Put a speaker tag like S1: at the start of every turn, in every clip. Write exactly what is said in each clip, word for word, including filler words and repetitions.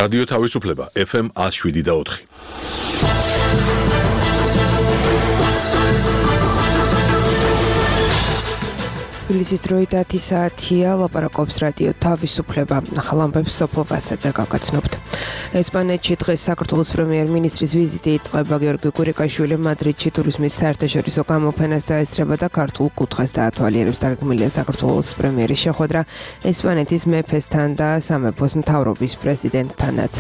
S1: რადიო თავისუფლება ეფ ემ one oh seven და four.
S2: თბილისის დროით ათი საათია, ლაპარაკობს რადიო თავისუფლება. ახალ ამბებს სოფო ვასაძე გავგაცნობთ. ესპანეთში დღეს საქართველოს პრემიერ-მინისტრის ვიზიტი იწყება. გიორგი კურიკაშვილი მადრიდში ტურიზმის საერთაშორისო გამოფენას დაესწრება და ქართულ კუთხეს დაათვალიერებს. დაგეგმილია საქართველოს პრემიერის შეხვედრა ესპანეთის მეფესთან და სამეფოს მთავრობის პრეზიდენტთანაც.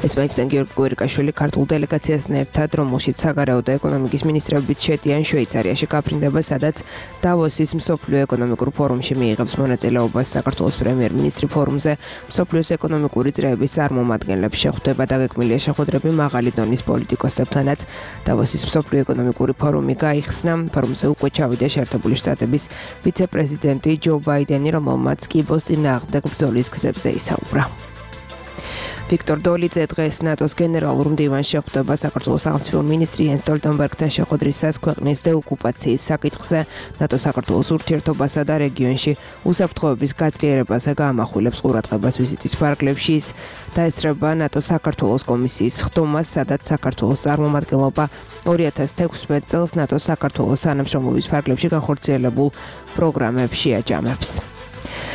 S2: ესპანეთიდან გიორგი კურიკაშვილი ქართულ დელეგაციასთან ერთად, რომელშიც საგარეო და ეკონომიკის მინისტრებიც შედიან, შვეიცარიაში გაფრინდება, სადაც დავოსის მსოფლიო ეკონომიკის ფორუმში მიიღებს მონაწილეობას. საქართველოს პრემიერ-მინისტრი ფორუმზე მსოფლიოს ეკონომიკური წრეების წარმომადგენლებს შეხვდება. დაგეგმილია შეხვედრები მაღალი დონის პოლიტიკოსებთანაც. დავოსის მსოფლიო ეკონომიკური ფორუმი გაიხსნა. ფორუმზე უკვე ჩავიდა შეერთებული შტატების ვიცე-პრეზიდენტი ჯო ბაიდენი, რომელმაც კიბოს წინააღმდეგ ბრძოლის გზებზე ისაუბრა. ვიქტორ დოლიძე დღეს ნატოს გენერალურ მდივანს შეხვდება. საქართველოს სახელმწიფო მინისტრი იენს სტოლტენბერგთან შეხვედრისას ქვეყნის დეოკუპაციის საკითხზე, ნატოს საქართველოს ურთიერთობასა და რეგიონში უსაფრთხოების გაძლიერებაზე გაამახვილებს ყურადღებას ვიზიტის ფარგლებში. ის დაესწრება ნატოს საქართველოს კომისიის ხდომას, სადაც საქართველოს წარმომადგენლობა ორი ათას თექვსმეტ წელს ნატოს საქართველოს თანამშრომლობის ფარგლებში განხორციელებულ პროგრამებში აჯამებს.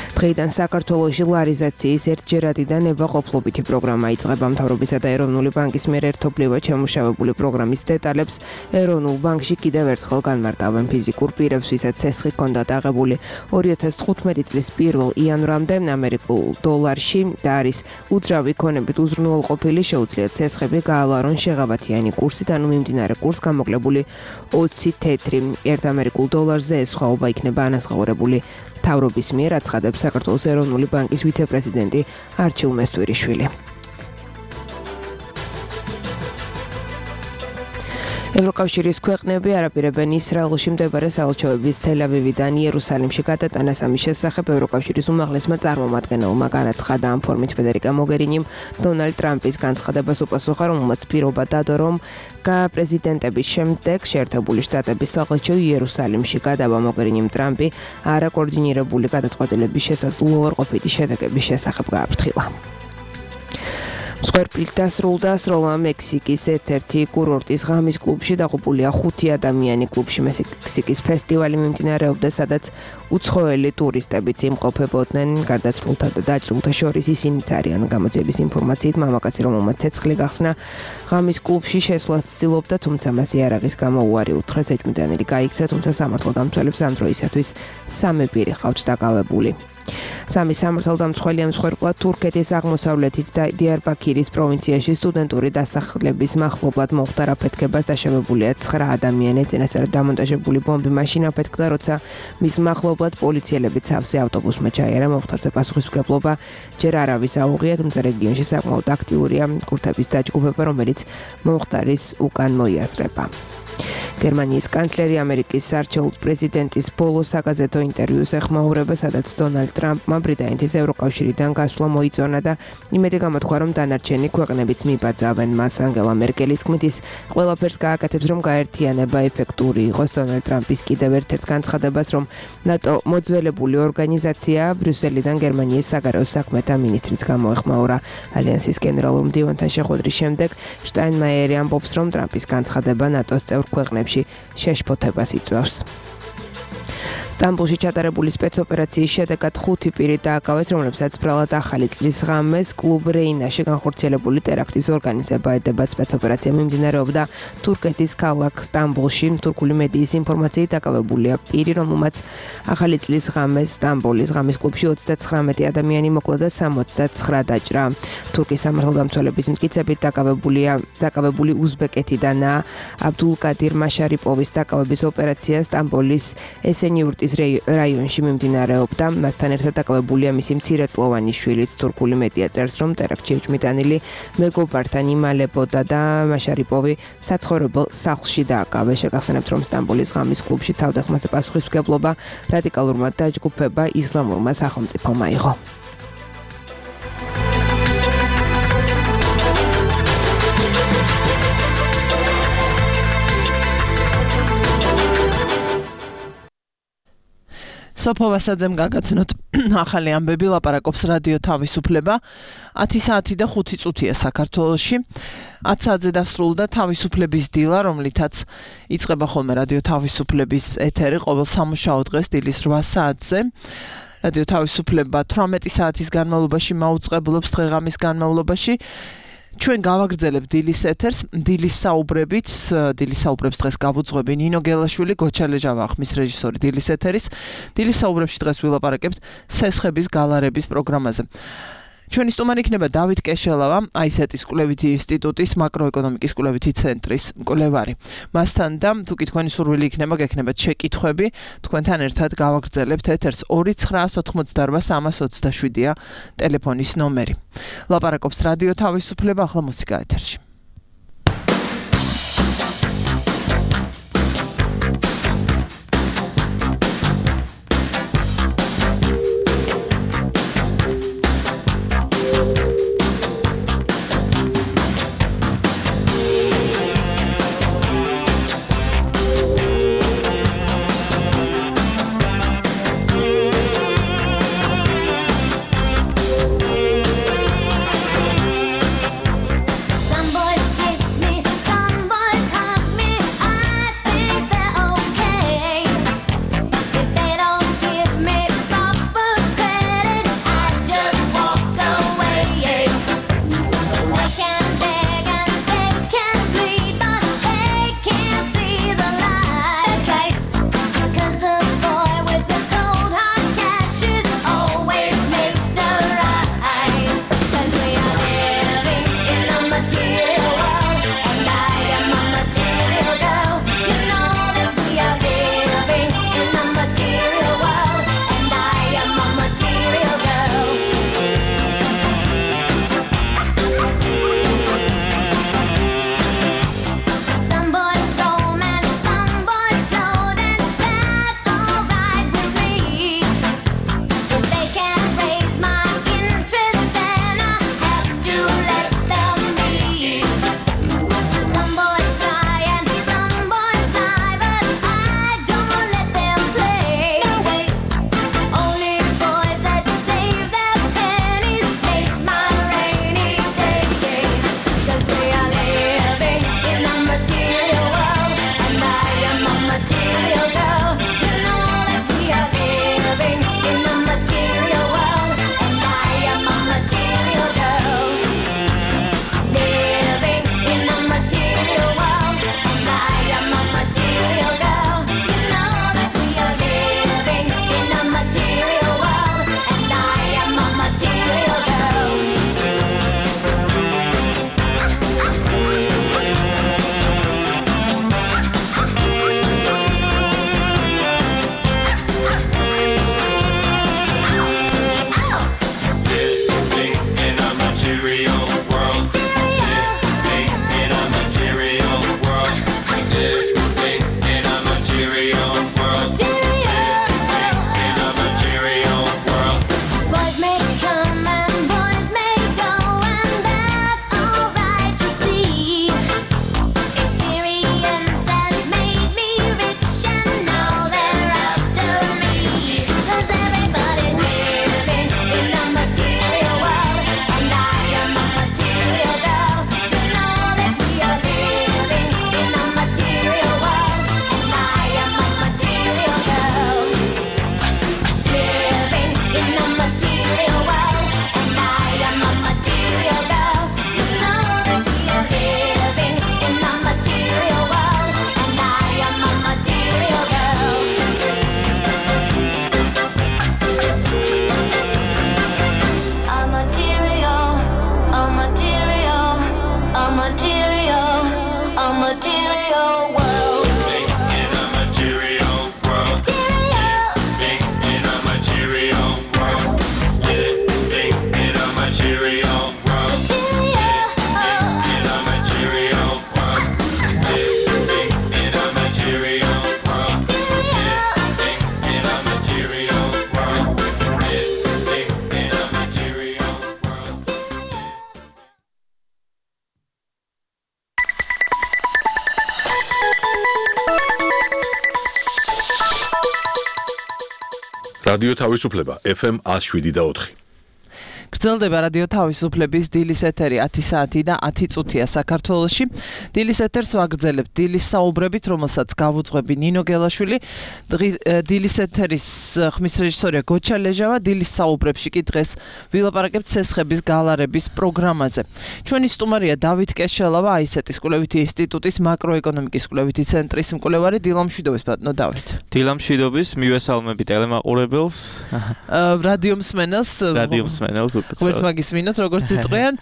S2: დღეიდან საქართველოში ლარიზაციის ერთჯერადი და ნებაყოფლობითი პროგრამა იწყება. მთავრობისა და ეროვნული ბანკის მიერ ერთობლივად შემუშავებული პროგრამის დეტალებს ეროვნულ ბანკში კიდევ ერთხელ განმარტავენ ფიზიკურ პირებს, ვისაც ცესხი ჰქონდათ აღებული ორი ათას თხუთმეტი წლის პირველ იანვრამდე ამერიკულ დოლარში და არის უძრავი ქონებით უზრუნველყოფილი, შეუძლიათ ცესხები გაალარონ შეღავათიანი კურსით, ანუ მიმდინარე კურს გამოკლებული ოცი თეთრი. ერთ ამერიკულ დოლარზე ეს სხვაობა იქნება ანაზღაურებული მთავრობის მიერ, აცხადებს საქართველოს ეროვნული ბანკის ვიცე-პრეზიდენტი არჩილ მესტვირიშვილი. ევროკავშირის ქვეყნები არაპირებენ ისრაელში მდებარე საელჩოების თელ-ავივიდან იერუსალიმში გადატანას. ამის შესახებ ევროკავშირის უმაღლესმა წარმომადგენელმა განაცხადა. ამ ფორმით ფედერიკა მოგერინიმ დონალდ ტრამპის განცხადებას უპასუხა, რომელმაც პირობა დადო, რომ პრეზიდენტების შემდეგ შეერთებული შტატების საელჩო იერუსალიმში გადავა. მოგერინიმ ტრამპი არაკოორდინირებული გადაწყვეტილების შესაძლო უარყოფითი შედეგების შესახებ გააფრთხილა. მსხვერპლით დასრულდა სროლა მექსიკის ერთ-ერთი კურორტის ღამის კლუბში. დაღუპულია ხუთი ადამიანი. კლუბში მექსიკის ფესტივალი მიმდინარეობდა, სადაც უცხოელი ტურისტებიც იმყოფებოდნენ. გარდაცვლილთა და დაჭრილთა შორის ისინიც არიან. გამოძიების ინფორმაციით, მამაკაცი, რომელმაც ცეცხლი გახსნა, ღამის კლუბში შესვლას ცდილობდა, თუმცა მას იარაღის გამო უარი უთხრეს. ეჭვმიტანილი გაიქცა, თუმცა სამართალდამცველებს ამ დროისათვის სამი პირი ჰყავთ დაკავებული. სამი სამართალდამცველი მსხვერპლად თურქეთის აღმოსავლეთით და დიარბაქირის პროვინციაში სტუდენტური დასახლების მახლობლად მოხდა აფეთქებას. დაშავებულია ცხრა ადამიანი. წინასწარ დამონტაჟებული ბომბი მაშინ აფეთქდა, როცა მის მახლობლად პოლიციელები ცავზე ავტობუსმა ჩაიარა. მომხდარზე პასუხისმგებლობა ჯერ არავის აუღია, თუმცა რეგიონში საკმაოდ აქტიურია კურთების დაჯგუფება, რომელიც მომხდარის უკან მოიაზრება. გერმანიის კანცლერი ამერიკის არჩეულ პრეზიდენტის ბოლო საგაზეთო ინტერვიუს ეხმაურება, სადაც დონალდ ტრამპმა ბრიტანეთის ევროკავშირიდან გასვლა მოიწონა და იმედი გამოთქვა, რომ დანარჩენი ქვეყნებიც მიბაძავენ მას. ანგელა მერკელის თქმით, ის ყველაფერს გააკეთებს, რომ გაერთიანება ეფექტური იყოს. დონალდ ტრამპის კიდევ ერთ-ერთ განცხადებას, რომ ნატო მოძველებული ორგანიზაცია, ბრიუსელიდან გერმანიის საგარეო საქმეთა მინისტრიც გამოეხმაურა. ალიანსის გენერალურ მდივანთან შეხვედრის შემდეგ შტაინმაიერი ამბობს, რომ ტრამპის განცხადება ნატოს წევრ ქვეყნებში შეშფოთებას იწვევს. სტამბოლში ჩატარებული სპეცოპერაციის შედეგად ხუთი პირი დააკავეს, რომლებსაც ბრალად ახალი წლის ღამეს კლუბ რეინაში განხორციელებული ტერაქტის ორგანიზება ედება. სპეცოპერაცია მიმდინარეობდა თურქეთის ქალაქ სტამბოლში. თურქული მედიის ინფორმაციით დაკავებულია პირი, რომელმაც ახალი წლის ღამეს სტამბოლის ღამის კლუბში ოცდაცხრამეტი ადამიანი მოკლა და სამოცდაცხრა დაჭრა. თურქის სამართალდამცველების მტკიცებით დაკავებულია დაკავებული უზბეკეთიდანაა. აბდულკადირ მაშარიპოვის დაკავების ოპერაცია სტამბოლის ესენიურტის რაიონში მიმდინარეობდა. მასთან ერთად დაკავებულია მისი მცირეწლოვანი შვილიც. თურქული მედია წერს, რომ ტერაქტში ეჭვმიტანილი მეგობართან იმალებოდა და მაშარიპოვი საცხოვრებელ სახლში დააკავეს. შეგახსენებთ, რომ სტამბოლის ღამის კლუბში თავდასხმაზე პასუხისმგებლობა რადიკალურმა დაჯგუფება ისლამურმა სახელმწიფომ აიღო.
S3: სოფო ვასაძემ გაგაცნოთ ახალი ამბები, ლაპარაკობს რადიო თავისუფლება. ათი საათი და ხუთი წუთია საქართველოში. ათ საათზე დასრულდა თავისუფლების დილა, რომლითაც იწყება ხოლმე რადიო თავისუფლების ეთერი ყოველ სამუშაო დღეს დილის რვა საათზე. რადიო თავისუფლება თვრამეტი საათის განმავლობაში მაუწყებლობს დღეღამის განმავლობაში. ჩვენ გავაგრძელებთ დილის ეთერს, დილის საუბრებით, დილის საუბრებს დღეს გავუძღვები ნინო გელაშვილი, გოჩა ლეჟავა ხმის რეჟისორი დილის ეთერის. დილის საუბრებში დღეს ვილაპარაკებთ სესხების გალარების პროგრამაზე. ჩვენი სტუმარი იქნება დავით კეშელავა, აისეტის კვლევითი ინსტიტუტის მაკროეკონომიკის კვლევითი ცენტრის მკვლევარი. მასთან და თუ კი თქვენი სურვილი იქნება, გექნებათ შეკითხვები, თქვენთან ერთად გავაგრძელებთ ეთერს ორი ცხრაას ოთხმოცდარვა სამას ოცდაშვიდია ტელეფონის ნომერი. ლაპარაკობს რადიო თავისუფლება, ახლა მუსიკა ეთერში.
S4: Somebody
S1: რადიო თავისუფლება ეფ ემ one oh seven და four.
S3: გრძელდება რადიო თავისუფლების დილის ეთერი ათი საათი და ათი წუთია საქართველოში. დილის ეთერს ვაგრძელებთ დილის საუბრებით, რომელსაც გავუძღვები ნინო გელაშვილი. დილის ეთერის ხმის რეჟისორია გოჩა ლეჟავა. დილის საუბრებში კი დღეს ვილაპარაკებთ სესხების გალარების პროგრამაზე. ჩვენი სტუმარია დავით კეშელავა, აისეტის კვლევითი ინსტიტუტის მაკროეკონომიკის კვლევითი ცენტრის მკვლევარი. დილამშვიდობის ბატონო დავით.
S4: დილამშვიდობის, მივესალმები ტელემაყურებელს.
S3: რადიო მსმენელს.
S4: რადიო მსმენელს.
S3: გვერდ მაგის მინუს როგორც იტყვიან,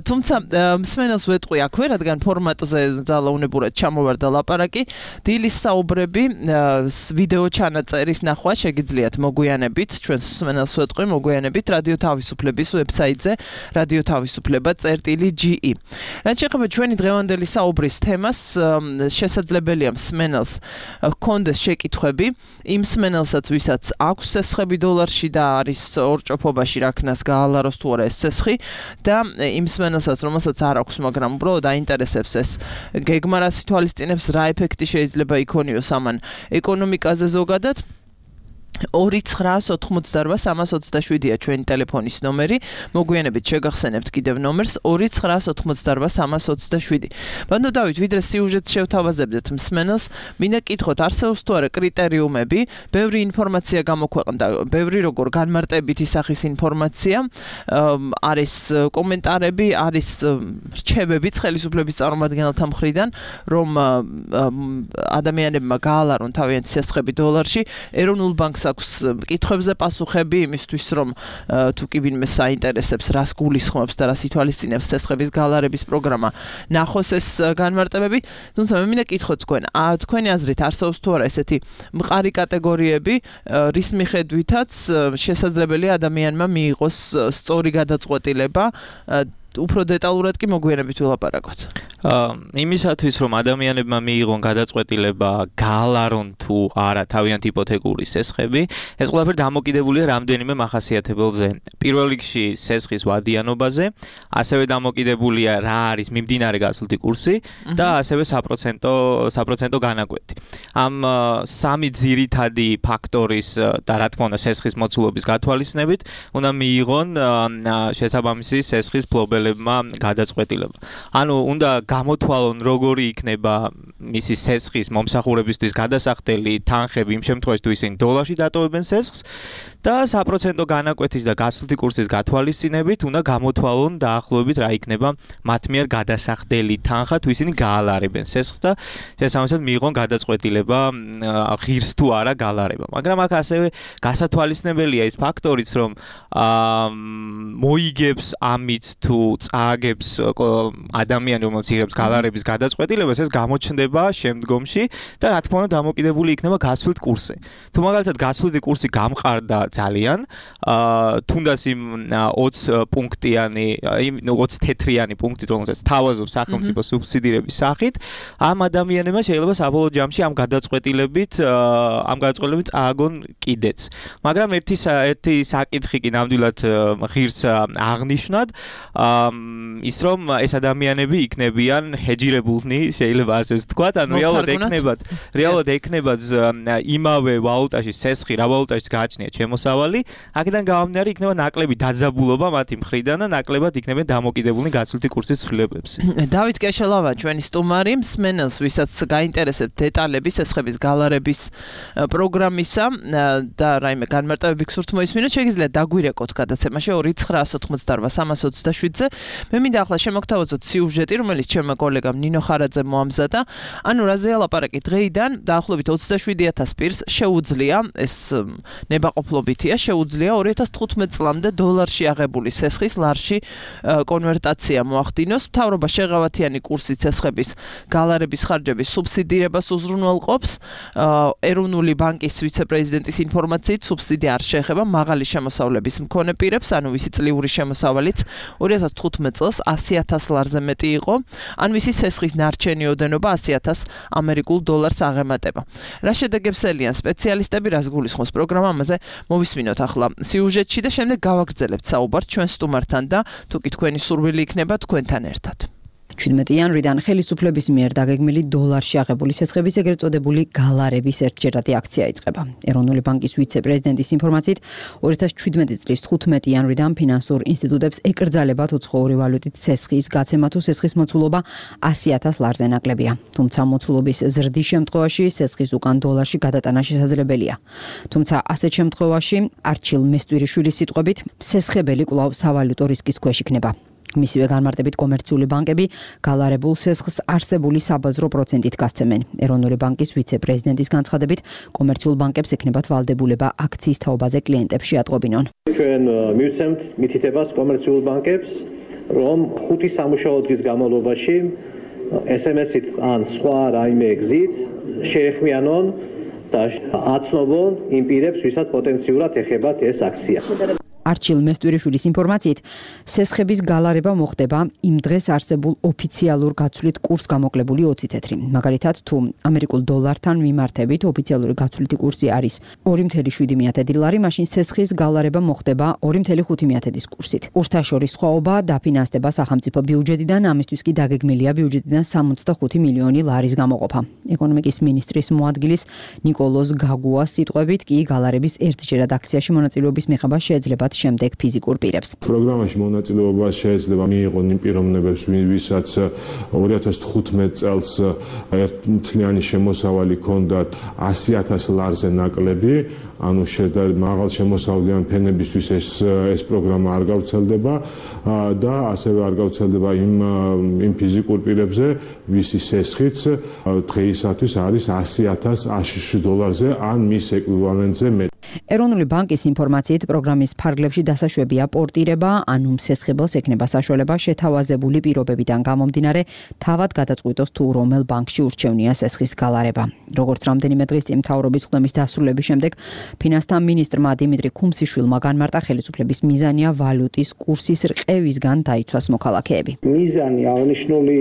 S3: თუმცა მსმენელს ვეტყვი აქვე, რადგან ფორმატზე ძალაუნებურად ჩამოვარდა ლაპარაკი. დილის საუბრები ვიდეო ჩანაწერის ნახვა შეგიძლიათ მოგვიანებით, ჩვენს მსმენელს ვეტყვი მოგვიანებით რადიო თავისუფლების ვებსაიტზე რადიო თავისუფლება წერტილი ჯი ი. რაც შეეხება ჩვენი დღევანდელი საუბრის თემას, შესაძლებელია მსმენელს ჰქონდეს შეკითხვები იმ მსმენელსაც, ვისაც აქვს სესხები დოლარში და არის ორჭოფობაში რაქნას გაალაროს თუ არა ეს სესხი და იმ მსმენელსაც, რომელსაც არ აქვს, მაგრამ უბრალოდ აინტერესებს ეს გეგმა რას ითვალისწინებს, რა ეფექტი შეიძლება იქონიოს ამან ეკონომიკაზე ზოგადად. ორი ცხრაას ოთხმოცდარვა სამას ოცდაშვიდია ჩვენი ტელეფონის ნომერი. მოგვიანებით შეგახსენებთ კიდევ ნომერს ორი ცხრაას ოთხმოცდარვა სამას ოცდაშვიდი. ბატონო დავით, ვიდრე სიუჟეტს შევთავაზებდეთ მსმენელს, მინდა კითხოთ, არსებობს თუ არა კრიტერიუმები, ბევრი ინფორმაცია გამოქვეყნდა, ბევრი როგორ განმარტებითი სახის ინფორმაცია, არის კომენტარები, არის რჩევებიც ხელისუფლების წარმომადგენელთა მხრიდან, რომ ადამიანებმა გაალარონ თავიანთი სესხები დოლარში. ეროვნულ ბანკს აქვს კითხვებზე პასუხები იმისთვის, რომ თუ კი ვინმე საინტერესებს, რას გულისხმობს და რას ითვალისწინებს სესხების გალარების პროგრამა, ნახოს ეს განმარტებები. თუმცა მე მინდა კითხოთ თქვენ, თქვენი აზრით არსებობს თუ არა ესეთი მყარი კატეგორიები, რის მიხედვითაც შესაძლებელია ადამიანმა მიიღოს სწორი გადაწყვეტილება, უფრო დეტალურად კი მოგვიანებით ვილაპარაკოთ.
S4: იმისათვის, რომ ადამიანებმა მიიღონ გადაწყვეტილება გაალარონ თუ არა თავიანთი იპოთეკური სესხები, ეს ყველაფერი დამოკიდებულია რამდენიმე მახასიათებელზე. პირველ რიგში სესხის ვადიანობაზე, ასევე დამოკიდებულია რა არის მიმდინარე გასვლითი კურსი და ასევე საპროცენტო საპროცენტო განაკვეთი. ამ სამი ძირითადი ფაქტორის და რა თქმა უნდა სესხის მოცულობის გათვალისწინებით უნდა მიიღონ შესაბამისი სესხის ფლობელებმა გადაწყვეტილება. ანუ უნდა გამოთვალონ როგორი იქნება მისი სესხის მომსახურებისთვის გადასახდელი თანხები იმ შემთხვევაში თუ ისინი დოლარში დატოვებენ სესხს და საპროცენტო განაკვეთის და გასვლითი კურსის გათვალისწინებით უნდა გამოთვალონ დაახლოებით რა იქნება მათ მიერ გადასახდელი თანხა თუ ისინი გაალარებენ სესხს და შესაბამისად მიიღონ გადაწყვეტილება ღირს თუ არა გალარება. მაგრამ აქ ასევე გასათვალისწინებელია ის ფაქტორიც, რომ მოიგებს ამით თუ წააგებს ადამიანი, რომელიც იღებს გალარების გადაწყვეტილებას, ეს გამოჩნდება შემდგომში და რა თქმა უნდა დამოკიდებული იქნება გასვლით კურსზე. თუ მაგალითად გასვლითი კურსი გამყარდა ძალიან, თუნდაც იმ ოც პუნქტიანი, იმ ოც თეთრიანი პუნქტით, რომელსაც თავაზობს სახელმწიფო სუბსიდირების სახით, ამ ადამიანებმა შეიძლება საბოლოო ჯამში ამ გადაწყვეტილებით, ამ გადაწყვეტილებით წააგონ კიდეც. მაგრამ ერთი ერთი საკითხი კი ნამდვილად ღირს აღნიშნად, ის რომ ეს ადამიანები იქნებიან ჰეჯირებულნი, შეიძლება ასე ვთქვათ, ან რეალურად ექნებათ, რეალურად ექნებათ იმავე ვალუტაში სესხი, რა ვალუტაში გააჩნიათ შემოსავალი, აქედან გამომდინარე იქნება ნაკლები დაძაბულობა მათი მხრიდან და ნაკლებად იქნებიან დამოკიდებულნი გასვლითი კურსის ცვლილებებზე.
S3: დავით კეშელავა, ჩვენი სტუმარი, მსმენელს, ვისაც გაინტერესებთ დეტალები სესხების გალარების პროგრამისა და რაიმე განმარტებები გსურთ მოისმინოთ, შეგიძლიათ დაგვირეკოთ გადაცემაში ორი ცხრაას ოთხმოცდარვა სამას ოცდაშვიდზე. მე მინდა ახლა შემოგთავაზოთ სიუჟეტი, რომელიც ჩემმა კოლეგამ ნინო ხარაძემ მოამზადა. ანუ რაზეა ლაპარაკი? დღეიდან დაახლოებით ოცდაშვიდი ათას პირს შეუძლია, ეს ნებაყოფლობითია, შეუძლია ორი ათას თხუთმეტ წლამდე დოლარში აღებული სესხის ლარში კონვერტაცია მოახდინოს. მთავრობა შეღავათიანი კურსით სესხების გალარების ხარჯების სუბსიდირებას უზრუნველყოფს. ეროვნული ბანკის ვიცე-პრეზიდენტის ინფორმაციით, სუბსიდია არ შეეხება მაღალი შემოსავლების მქონე პირებს, ანუ ვისი წლიური შემოსავალიც ორი ათას თხუთმეტ წელს ასი ათას ლარზე მეტი იყო, ან მისი სესხის ნარჩენი ოდენობა ასი ათას ამერიკულ დოლარს აღემატება. რა შედეგებს ელიან სპეციალისტები, რას გულისხმობს პროგრამა, ამაზე მოვისმინოთ ახლა სიუჟეტში და შემდეგ გავაგრძელებთ საუბარს ჩვენ სტუმართან და თუ კი თქვენი სურვილი იქნება თქვენთან ერთად.
S5: ჩვიდმეტი იანვრიდან ხელისუფლების მიერ დაგეგმილი დოლარში აღებული სესხების ეგრეთ წოდებული გალარების ერთჯერადი აქცია იწყება. ეროვნული ბანკის ვიცე-პრეზიდენტის ინფორმაციით, ორი ათას შვიდმეტი წლის თხუთმეტი იანვრიდან ფინანსურ ინსტიტუტებს ეკრძალებათ უცხოური ვალუტით სესხის გაცემა თუ სესხის მოცულობა ასი ათას ლარზე ნაკლებია. თუმცა მოცულობის ზრდის შემთხვევაში სესხის უკან დოლარში გადატანა შესაძლებელია. თუმცა ასეთ შემთხვევაში არჩილ მესტვირიშვილის სიტყვებით, სესხებელი კვლავ სავალუტო რისკის ქვეშ იქნება. მისივე განმარტებით კომერციული ბანკები გალარებულ სესხს არსებული საბაზრო პროცენტით გასცემენ. ეროვნული ბანკის ვიცე-პრეზიდენტის განცხადებით, კომერციულ ბანკებს ექნებათ ვალდებულება აქციის თაობაზე კლიენტებს შეატყობინონ.
S6: ჩვენ მივცემთ მითითებას კომერციულ ბანკებს, რომ ხუთი სამუშაო დღის განმავლობაში ეს ემ ეს-ით ან სხვა რაიმე გზით შეეხმიანონ და აცნობონ იმ პირებს, ვისაც პოტენციურად ეხებათ ეს აქცია.
S5: არჩილ მესტვირიშვილის ინფორმაციით, სესხების გალარება მოხდება იმ დღეს არსებულ ოფიციალურ გაცვლით კურს გამოკლებული ოცი თეთრი. მაგალითად, თუ ამერიკულ დოლართან მიმართებით ოფიციალური გაცვლითი კურსი არის ორი ათეული შვიდი ლარი, მაშინ სესხის გალარება მოხდება ორი ათეული ხუთი კურსით. კურსთა შორის სხვაობა დაფინანსდება სახელმწიფო ბიუჯეტიდან, ამისთვის კი დაგეგმილია ბიუჯეტიდან სამოცდახუთი მილიონი ლარის გამოყოფა. ეკონომიკის მინისტრის მოადგილის ნიკოლოზ გაგუას სიტყვებით კი გალარების ერთჯერად აქციაში მონაწილეობის მიღება შეიძლება შემდეგ ფიზიკურ პირებს.
S7: პროგრამაში მონაწილეობა შეიძლება მიიღონ იმ პიროვნებებს, ვისაც ორი ათას თხუთმეტ წელს ერთთლიანი შემოსავალი ჰქონდათ ასი ათას ლარზე ნაკლები, ანუ შედარებით მაღალ შემოსავლიან ფენებისთვის ეს ეს პროგრამა არ გავრცელდება და ასევე არ გავრცელდება იმ იმ ფიზიკურ პირებზე, ვისი სესხიც დღეისათვის არის ასი ათას დოლარზე ან მის ეკვივალენტზე მეტი.
S5: ეროვნული ბანკის ინფორმაციით, პროგრამის ფარგლებში დასაშვებია პორტირება, ანუ მსესხებელს ექნება საშუალება შეთავაზებული პირობებიდან გამომდინარე, თავად გადაწყვიტოს თუ რომელ ბანკში ურჩევნია სესხის გალარება. როგორც რამდენიმე დღის წინ მთავრობის ხდომის დასრულების შემდეგ, ფინანსთა მინისტრმა დიმიტრი ქუმსიშვილმა განმარტა, ხელისუფლების მიზანია ვალუტის კურსის რყევისგან დაიცვას მოქალაქეები.
S6: მიზანი აღნიშნული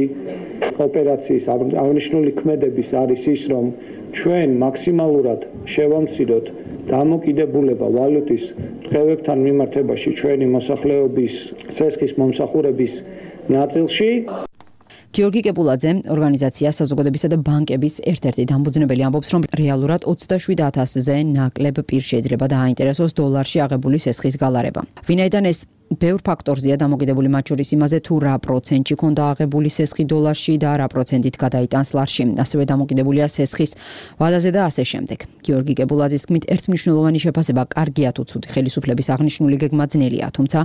S6: ოპერაციის, აღნიშნული ქმედების არის ის, რომ ჩვენ მაქსიმალურად შევამციროთ დამოკიდებულება ვალუტის რყევებთან მიმართებაში ჩვენი მოსახლეობის სესხის მომსახურების ნაწილში.
S5: გიორგი კეპულაძე, ორგანიზაცია საზოგადოებისა და ბანკების ერთ-ერთი დამფუძნებელი ამბობს, რომ რეალურად ოცდაშვიდ ათასზე ნაკლებ პირს შეიძლება დააინტერესოს დოლარში აღებული სესხის გალარება. ვინაიდან ეს ბევრ ფაქტორზეა დამოკიდებული, მათ შორის იმაზე, თუ რა პროცენტში ქონდა აღებული სესხი დოლარში და რა პროცენტით გადაიტანს ლარში. ასევე დამოკიდებულია სესხის ვადაზე და ასე შემდეგ. გიორგი კეპულაძის თქმით, ერთმნიშვნელოვანი შეფასება კარგია თუ ცუდი ხელისუფლების აღნიშნული გეგმა ძნელია, თუმცა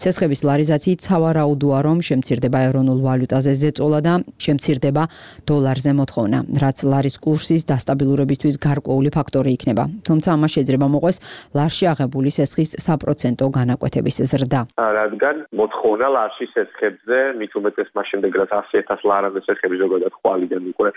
S5: სესხების ლარიზაციით სავარაუდოა, რომ შემცირდება ეროვნულ ვალუტაზე ზეწოლა და შემცირდება დოლარზე მოთხოვნა, რაც ლარის კურსის დასტაბილურებისთვის გარკვეული ფაქტორი იქნება. თუმცა ამას შეიძლება მოყვეს ლარში აღებული სესხის საპროცენტო განაკვეთების ზრდა.
S8: რადგან მოთხოვნა ლარში სესხებზე, მით უმეტეს მას შემდეგ, რაც ასი ათას ლარამდე სესხები ზოგადად ხვალიდან უკვე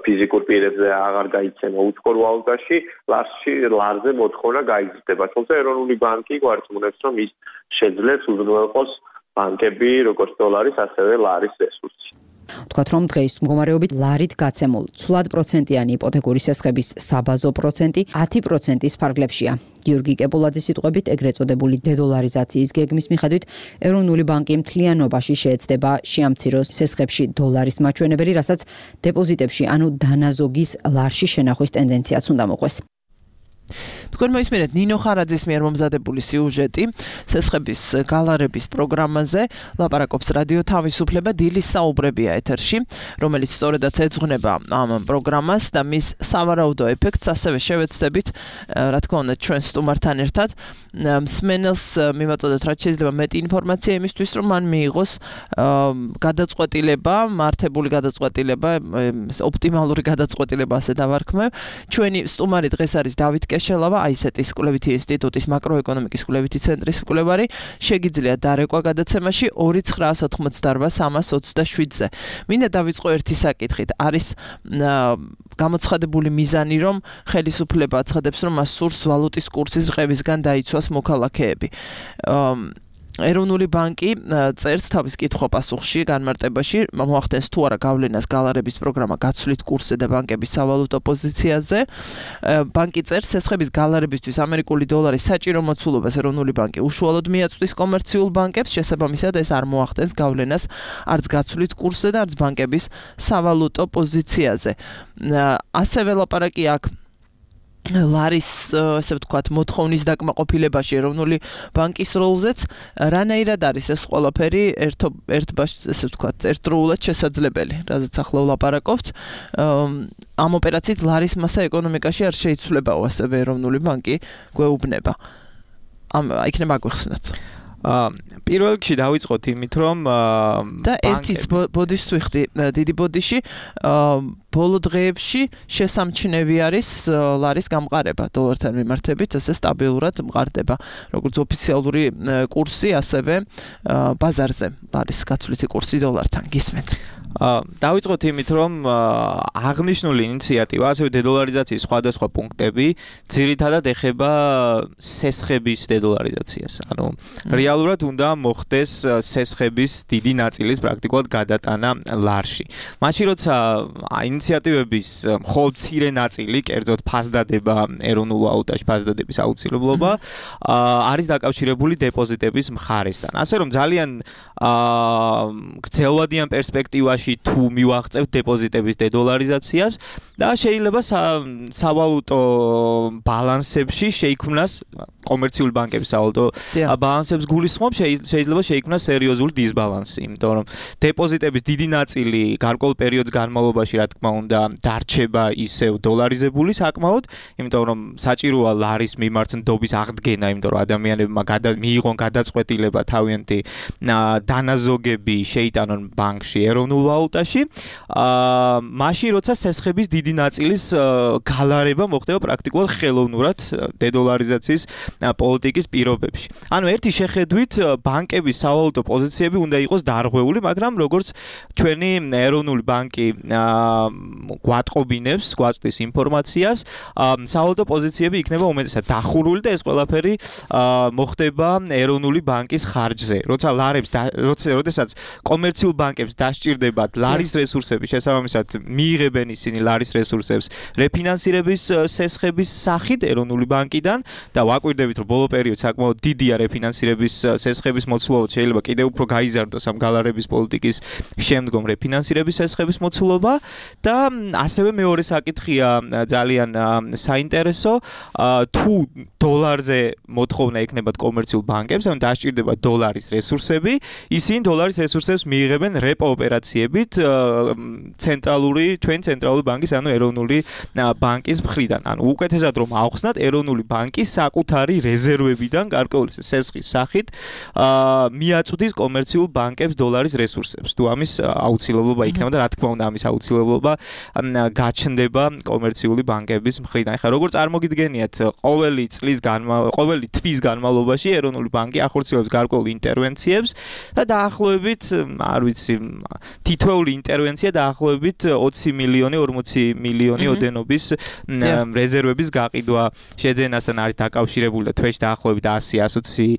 S8: ფიზიკურ პირებზე აღარ გაიცემა უცხოურ ვალუტაში, ლარში ლარზე მოთხოვნა გაიზრდება. თუმცა ეროვნული ბანკი გვარცხნევს, რომ ის შეძლებს უზრუნველყოს ბანკები, როგორც დოლარის, ასევე ლარის რესურსი.
S5: ვთქვათ, რომ დღეის მდგომარეობით ლარით გაცემულ ცვლად პროცენტიანი იპოთეკური სესხების საბაზო პროცენტი ათი პროცენტის ფარგლებშია. გიორგი კეპულაძის სიტყვებით, ეგრეთ წოდებული დედოლარიზაციის გეგმის მიხედვით, ეროვნული ბანკი მთლიანობაში შეეცდება შეამციროს სესხებში დოლარის მაჩვენებელი, რასაც დეპოზიტებში, ანუ დანაზოგის ლარში შენახვის ტენდენციაც უნდა მოყვეს.
S3: თქვენ მოისმინეთ ნინო ხარაძის მიერ მომზადებული სიუჟეტი სესხების გალარების პროგრამაზე. ლაპარაკობს რადიო თავისუფლება, დილის საუბრებია ეთერში, რომელიც სწორედაც ეძღვნება ამ პროგრამას და მის სავარაუდო ეფექტს. ასევე შევეცდებით, რა თქმა უნდა, ჩვენ სტუმართან ერთად მსმენელს მივაწოდოთ, რაც შეიძლება მეტი ინფორმაცია იმისთვის, რომ მან მიიღოს გადაწყვეტილება, მართებული გადაწყვეტილება, ოპტიმალური გადაწყვეტილება, ასე დავარქმევ. ჩვენი სტუმარი დღეს არის დავით კეშელავა, აისეტის კვლევითი ინსტიტუტის მაკროეკონომიკის კვლევითი ცენტრის მკვლევარი. შეგიძლიათ დარეკვა გადაცემაში ორი ცხრაას ოთხმოცდაორბა სამას ოცდაშვიდზე. მინდა დავიწყო ერთი საკითხით. არის გამოცხადებული მიზანი, რომ ხელისუფლება აცხადებს, რომ მას სურს ვალუტის კურსის რყევისგან დაიცვას მოქალაქეები. ეროვნული ბანკი წერს თავის კითხვა-პასუხში განმარტებაში მოახდენს თუ არა გავლენას გალარების პროგრამა გაცვლით კურსზე და ბანკების სავალუტო პოზიციაზე. ბანკი წერს სესხების გალარებისთვის ამერიკული დოლარის საჭირო მოცულობას ეროვნული ბანკი უშუალოდ მიაწვდის კომერციულ ბანკებს, შესაბამისად ეს არ მოახდენს გავლენას არც გაცვლით კურსზე და არც ბანკების სავალუტო პოზიციაზე. ასევე ლაპარაკი აქვს ლარის, ესე ვთქვათ, მოთხოვნის დაკმაყოფილებაში ეროვნული ბანკის როლზეც, რანაირად არის ეს ყველაფერი ერთ ერთბაშ, ესე ვთქვათ, ერთდროულად შესაძლებელი, რაზეც ახლა ვლაპარაკობთ. ამ ოპერაციით ლარის მასა ეკონომიკაში არ შეიცვლებაო, ასევე ეროვნული ბანკი გვეუბნება. ამ იქნება აგვიხსნათ.
S4: აა პირველ რიგში დავიწყოთ იმით, რომ
S3: და ერთიც ბოდიშს ვიხდი, დიდი ბოდიში, ბოლო დღეებში შესამჩნევი არის ლარის გამყარება დოლართან მიმართებით, ესე სტაბილურად მყარდება, როგორც ოფიციალური კურსი, ასევე ბაზარზე ლარის გაცვლითი კურსი დოლართან. გისმენთ.
S4: აა დავიწყოთ იმით, რომ აღნიშნული ინიციატივა, ასევე დედოლარიზაციის სხვადასხვა პუნქტები ძირითადად ეხება სესხების დედოლარიზაციას. ანუ რეალურად უნდა მოხდეს სესხების დიდი ნაწილის პრაქტიკულად გადატანა ლარში. მაშინ როცა ინიციატივების მხოლოდ მცირე ნაწილი, კერძოდ ფასდადება ეროვნულ ვალუტაში, ფასდადების აუცილებლობა არის დაკავშირებული დეპოზიტების მხარესთან. ასე რომ ძალიან გრძელვადიან პერსპექტივაში თუ მივაღწევთ დეპოზიტების დედოლარიზაციას და შეიძლება სავალუტო ბალანსებში შეიქმნას კომერციული ბანკების სავალუტო ბალანსებს გულისხმობ, შეიძლება შეიქმნას სერიოზული დისბალანსი, იმიტომ რომ დეპოზიტების დიდი ნაწილი გარკვეულ პერიოდის განმავლობაში, რა თქმა უნდა, დარჩება ისევ დოლარიზებული საკმაოდ, იმიტომ რომ საჭიროა ლარის მიმართ ნდობის აღდგენა, იმიტომ რომ ადამიანებმა მიიღონ გადაწყვეტილება თავიანთი დანაზოგები შეიტანონ ბანკში ეროვნულ ვალუტაში. აა მაშინ როცა სესხების დიდი ნაწილის გალარება მოხდება პრაქტიკულად ხელოვნურად დედოლარიზაციის პოლიტიკის პირობებში. ანუ ერთი შეხედვით ბანკების სავალუტო პოზიციები უნდა იყოს დარღვეული, მაგრამ როგორც ჩვენი ეროვნული ბანკი გვატყობინებს, გვაწვდის ინფორმაციას, სავალუტო პოზიციები იქნება უმეტესად დახურული და ეს ყველაფერი მოხდება ეროვნული ბანკის ხარჯზე. როცა ლარებს როდესაც კომერციულ ბანკებს დასჭირდებათ ლარის რესურსები, შესაბამისად მიიღებენ ისინი ლარის რესურსებს რეფინანსირების სესხების სახით ეროვნული ბანკიდან და ვაკვირდებით, რომ ბოლო პერიოდში საკმაოდ დიდია რეფინანსირების სესხების მოცულობა, შეიძლება კიდევ უფრო გაიზარდოს ამ გალარების პოლიტიკის შემდგომ რეფინანსირების სესხების მოცულობა და ასევე მეორე საკითხია ძალიან საინტერესო, თუ დოლარზე მოთხოვნა ექნებათ კომერციულ ბანკებს, ანუ დასჭირდება დოლარის რესურსები, ისინი დოლარის რესურსებს მიიღებენ რეპო ოპერაციებით ცენტრალური, ჩვენ ცენტრალური ბანკის, ანუ ეროვნული ბანკის მხრიდან. ანუ უკეთესად რომ ავხსნათ, ეროვნული ბანკი საკუთარი რეზერვებიდან გარკვეული სესხის სახით მიაწვდის კომერციულ ბანკებს დოლარის რესურსებს. თუ ამის აუცილებლობა იქნება და რა თქმა უნდა ამის აუცილებლობა გაჩნდება კომერციული ბანკების მხრიდან. ეხლა როგორც წარმოგიდგენიათ, ყოველი წლის ყოველი თვის განმავლობაში ეროვნული ბანკი ახორციელებს გარკვეულ ინტერვენციებს და დაახლოებით, არ ვიცი, თითოეული ინტერვენცია დაახლოებით ოცი მილიონი, ორმოცი მილიონი ოდენობის რეზერვების გაყიდვა შეძენასთან არის დაკავშირებული და თვეში დაახლოებით ასი ოცი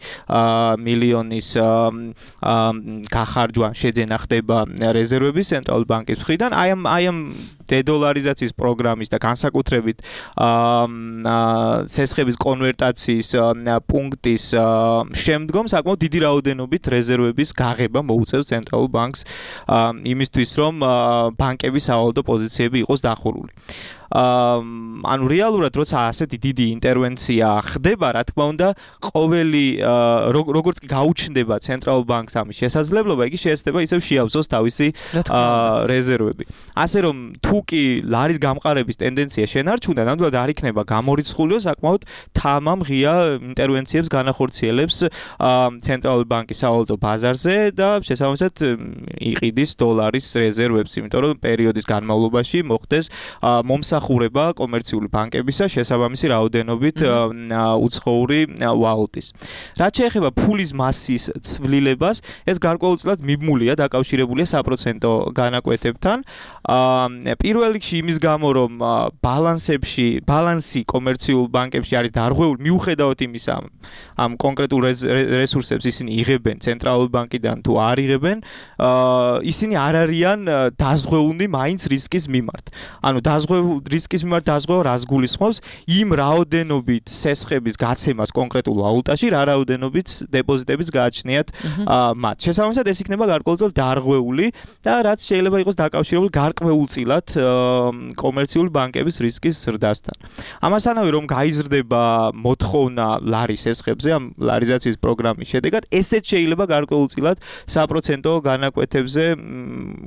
S4: მილიონის გახარჯვა შეძენა ხდება რეზერვების ცენტრალური ბანკის მხრიდან. აი ამ აი ამ დედოლარიზაციის პროგრამის და განსაკუთრებით სესხების კონვერტაციის პუნქტის შემდგომ საკმაოდ დიდი რაოდენობით რეზერვების გაღება მოუწევს ცენტრალურ ბანკს იმისთვის, რომ ბანკების სავალუტო პოზიციები იყოს დახურული. ანუ რეალურად როცა ასეთი დიდი ინტერვენცია ხდება, რა თქმა უნდა, ყოველი როგორც კი გაუჩნდება ცენტრალურ ბანკს ამის შესაძლებლობა, იგი შეეცდება ისევ შეავზოს თავისი რეზერვები. ასე რომ თუ კი ლარის გამყარების ტენდენცია შენარჩუნდა, ნამდვილად არ იქნება გამორიცხულიო საკმაოდ თამამ ღია ინტერვენციებს განახორციელებს ცენტრალური ბანკის სავალუტო ბაზარზე და შესაბამისად იყიდის დოლარის რეზერვებს, იმიტომ რომ პერიოდის განმავლობაში მოხდეს მომსახურება დამსახურება კომერციული ბანკებისა შესაბამისი რაოდენობით უცხოური ვალუტის. რაც შეეხება ფულის მასის ცვლილებას, ეს გარკვეულწილად მიმმულია დაკავშირებულია საპროცენტო განაკვეთებთან. პირველ რიგში იმის გამო, რომ ბალანსებში, ბალანსი კომერციულ ბანკებში არის დარღვეული, მიუხედავად იმისა, ამ კონკრეტულ რესურსებს ისინი იღებენ ცენტრალურ ბანკიდან თუ არ იღებენ, ისინი არ არიან დაზღვეული მაინც რისკის მიმართ. ანუ დაზღვეულ რისკის მიმართ დაზღვევა რას გულისხმობს? იმ რაოდენობით სესხების გაცემას კონკრეტულ ვალუტაში, რა რაოდენობით დეპოზიტების გააჩნიათ მათ. შესაბამისად, ეს იქნება გარკვეულწილად დარღვეული და რაც შეიძლება იყოს დაკავშირებული გარკვეულწილად კომერციული ბანკების რისკის ზრდასთან. ამასთანავე, რომ გაიზრდება მოთხოვნა ლარის სესხებზე, ამ ლარიზაციის პროგრამის შედეგად, ესეც შეიძლება გარკვეულწილად საპროცენტო განაკვეთებზე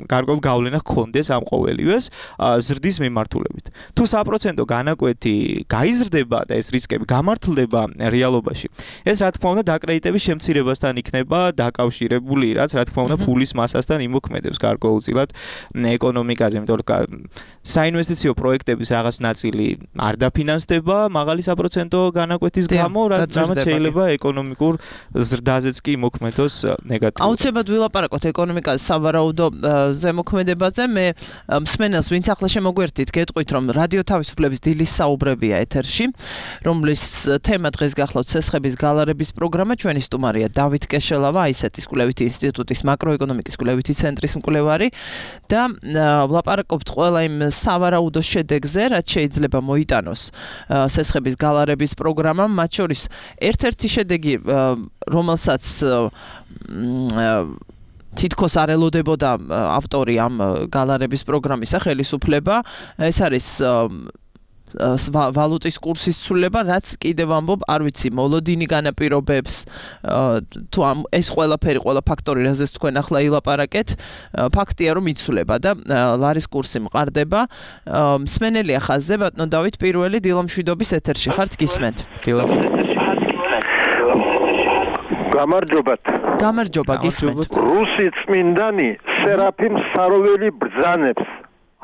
S4: გარკვეულ გავლენა ჰქონდეს ამ ყოველივეს ზრდის მიმართულებით. თუ საპროცენტო განაკვეთი გაიზრდება და ეს რისკები გამართლდება რეალობაში, ეს რა თქმა უნდა დაკრედიტების შემცირებასთან იქნება დაკავშირებული, რაც რა თქმა უნდა ფულის მასასთან იმოქმედებს გარკვეულწილად ეკონომიკაზე, იმიტომ რომ საინვესტიციო პროექტების რაღაც ნაწილი არ დაფინანსდება მაღალი საპროცენტო განაკვეთის გამო, რაც შეიძლება ეკონომიკურ ზრდაზეც კი იმოქმედოს ნეგატიურად.
S3: აუცილებლად ვილაპარაკოთ ეკონომიკაზე, სავარაუდო ზემოქმედებაზე. მე მსმენელს ვინც ახლა შემოგვერთით, გეტყვით, რომ რადიო თავისუფლების დილის საუბრებია ეთერში, რომლის თემა დღეს გახლავთ სესხების გალარების პროგრამა. ჩვენი სტუმარია დავით კეშელავა, აისეტის კვლევითი ინსტიტუტის მაკროეკონომიკის კვლევითი ცენტრის მკვლევარი და ვლაპარაკობთ ყველა იმ სავარაუდო შედეგზე, რაც შეიძლება მოიტანოს სესხების გალარების პროგრამამ, მათ შორის ერთ-ერთი შედეგი, რომელსაც თითქოს არ ელოდებოდა ავტორი ამ გალარების პროგრამისა ხელისუფლება, ეს არის ვალუტის კურსის ცვლილება, რაც კიდევ ამბობ, არ ვიცი, მოლოდინი განაპირობებს თუ ამ ეს ყველაფერი, ყველა ფაქტორი, რაზეც თქვენ ახლა ილაპარაკეთ, ფაქტია, რომ იცვლება და ლარის კურსი მყარდება. მსმენელია ხაზზე, ბატონო დავით, პირველი დილამშვიდობის ეთერში ხართ, გისმენთ.
S4: დილამშვიდობი.
S9: გამარჯობათ.
S3: გამარჯობა, გისმენთ.
S9: რუსი წმინდანი სერაფიმ საროველი ბრძანებს,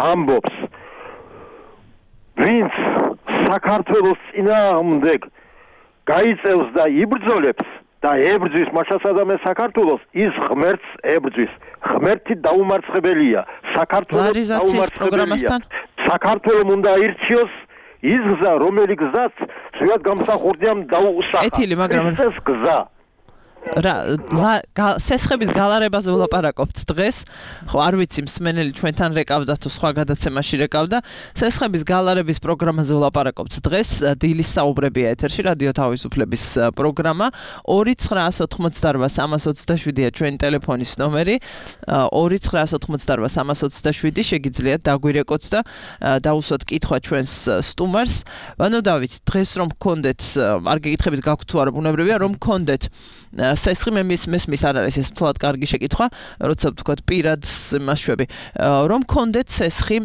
S9: ამბობს, ვინც საქართველოს წინააღმდეგ გაიწევს და იბრძოლებს და ებრძვის მაშასადამე საქართველოს, ის ღმერთს ებრძვის. ღმერთი დაუმარცხებელია, საქართველოს დაუმარცხებელია. საქართველოს უნდა აირჩიოს ის გზა, რომელი გზაც ზუსტად გამსახურდიამ დაუსახა.
S3: ეთილი, მაგრამ
S9: ეს გზა
S3: რა სესხების გალარებაზე ვლაპარაკობთ დღეს. ხო, არ ვიცი, მსმენელი ჩვენთან რეკავდა თუ სხვა გადაცემაში რეკავდა. სესხების გალარების პროგრამაზე ვლაპარაკობთ დღეს. დილის საუბრებია ეთერში, რადიო თავისუფლების პროგრამა. ორი ცხრაას ოთხმოცდარვა სამას ოცდაშვიდია ჩვენი ტელეფონის ნომერი. ორი ცხრაას ოთხმოცდარვა სამას ოცდაშვიდი შეგიძლიათ დაგვირეკოთ და დაუსვათ კითხვა ჩვენს სტუმარს. ბანო დავით, დღეს რომ გქონდეთ, არ გეკითხებით გაქვთ თუ არა, ბუნებრივია რომ გქონდეთ სესხი, მე მესმის არ არის ეს თვალად კარგი შეკითხვა, როცა ვთქვათ პირად მასშვები, რომ გქონდეთ სესხი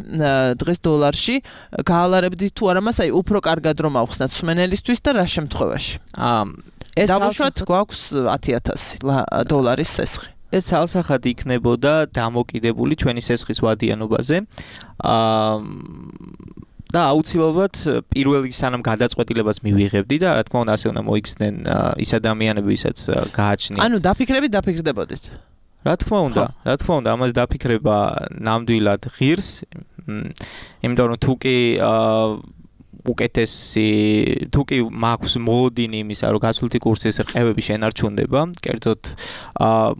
S3: დღეს დოლარში, გაალარებდით თუ არა მას, აი უფრო კარგად რომ ავხსნათ მსმენელისთვის და რა შემთხვევაში? ეს დავუშვათ გვაქვს ათი ათასი დოლარის სესხი.
S4: ეს ალსახად იქნებოდა დამოკიდებული ჩვენი სესხის ვადიანობაზე. აა და აუცილებლად პირველ რიგში სანამ გადაწყვეტილებას მივიღებდი და რა თქმა უნდა ასე უნდა მოიქცნენ ის ადამიანები, ვისაც გააჩნია.
S3: ანუ დაფიქრებით დაფიქრდებოდით.
S4: რა თქმა უნდა, რა თქმა უნდა, ამას დაფიქრება ნამდვილად ღირს, იმიტომ რომ თუ კი უკეთესი თუ კი მაქვს მოლოდინი იმისა, რომ გასვლითი კურსის რყევები შენარჩუნდება, კერძოდ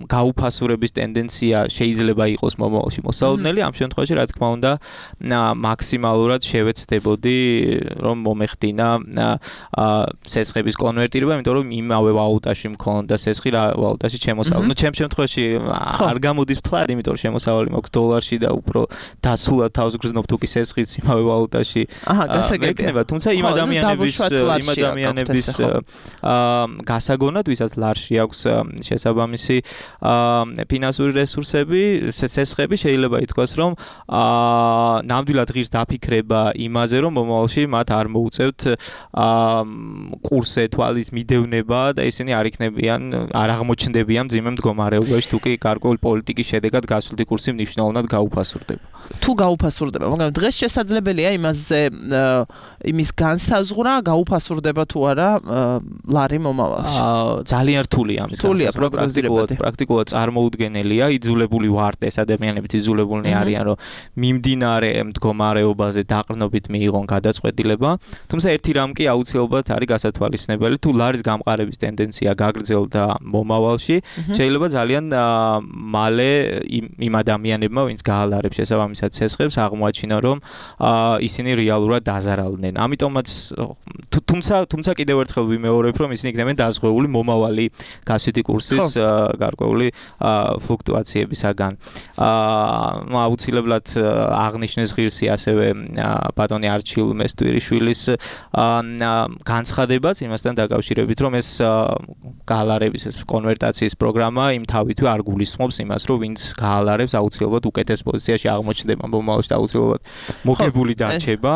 S4: გაუფასურების ტენდენცია შეიძლება იყოს მომავალში მოსალოდნელი, ამ შემთხვევაში რა თქმა უნდა მაქსიმალურად შევეცდებოდი, რომ მომეხდინა სესხების კონვერტირება, იმიტომ რომ იმავე ვალუტაში მქონდა სესხი რა ვალუტაში შემოსავალი. ნუ ჩემ შემთხვევაში არ გამოდის ფლად, იმიტომ რომ შემოსავალი მაქვს დოლარში და უფრო დაცულად თავს გრძნობ თუ კი სესხიც იმავე ვალუტაში.
S3: აჰა, გასაგებია.
S4: გეუბნება, თუმცა იმ ადამიანების იმ ადამიანების გასაგონად, ვისაც ლარში აქვს შესაბამისი ფინანსური რესურსები, სესხები შეიძლება ითქვას, რომ ნამდვილად ღირს დაფიქრება იმაზე, რომ მომავალში მათ არ მოუწევთ კურსზე თვალის მიდევნება და ისინი არ იქნებიან, არ აღმოჩნდებიან მძიმე მდგომარეობაში, თუ კი გარკვეული პოლიტიკის შედეგად გასვლითი კურსი მნიშვნელოვნად გაუფასურდება.
S3: თუ გაუფასურდება, მაგრამ დღეს შესაძლებელია იმაზე იმის განსაზღვრა, გაუფასურდება თუ არა ლარი მომავალში.
S4: ძალიან რთულია ამის
S3: განსაზღვრა,
S4: პრაქტიკულად, პრაქტიკულად წარმოუდგენელია, იძულებული ვართ ეს ადამიანები იძულებულნი არიან, რომ მიმდინარე მდგომარეობაზე დაყრდნობით მიიღონ გადაწყვეტილება, თუმცა ერთი რამ კი აუცილებლად არის გასათვალისწინებელი, თუ ლარის გამყარების ტენდენცია გაგრძელდა მომავალში, შეიძლება ძალიან მალე იმ ადამიანებმა, ვინც გაალარებს შესაბამისად სესხებს, აღმოაჩინონ, რომ ისინი რეალურად დაზარალდნენ. ამიტომაც თუმცა თუმცა კიდევ ერთხელ ვიმეორებ, რომ ისინი იქნებიან დაზღვეული მომავალი გასვითი კურსის გარკვეული ფლუქტუაციებისაგან. აა აუცილებლად აღნიშნეს ღირსი ასევე ბატონი არჩილ მესტვირიშვილის განცხადებაც იმასთან დაკავშირებით, რომ ეს გაალარების ეს კონვერტაციის პროგრამა იმ თავითვე არ გულისხმობს იმას, რომ ვინც გაალარებს აუცილებლად უკეთეს პოზიციაში აღმოჩნდება მომავალში და აუცილებლად მოგებული დარჩება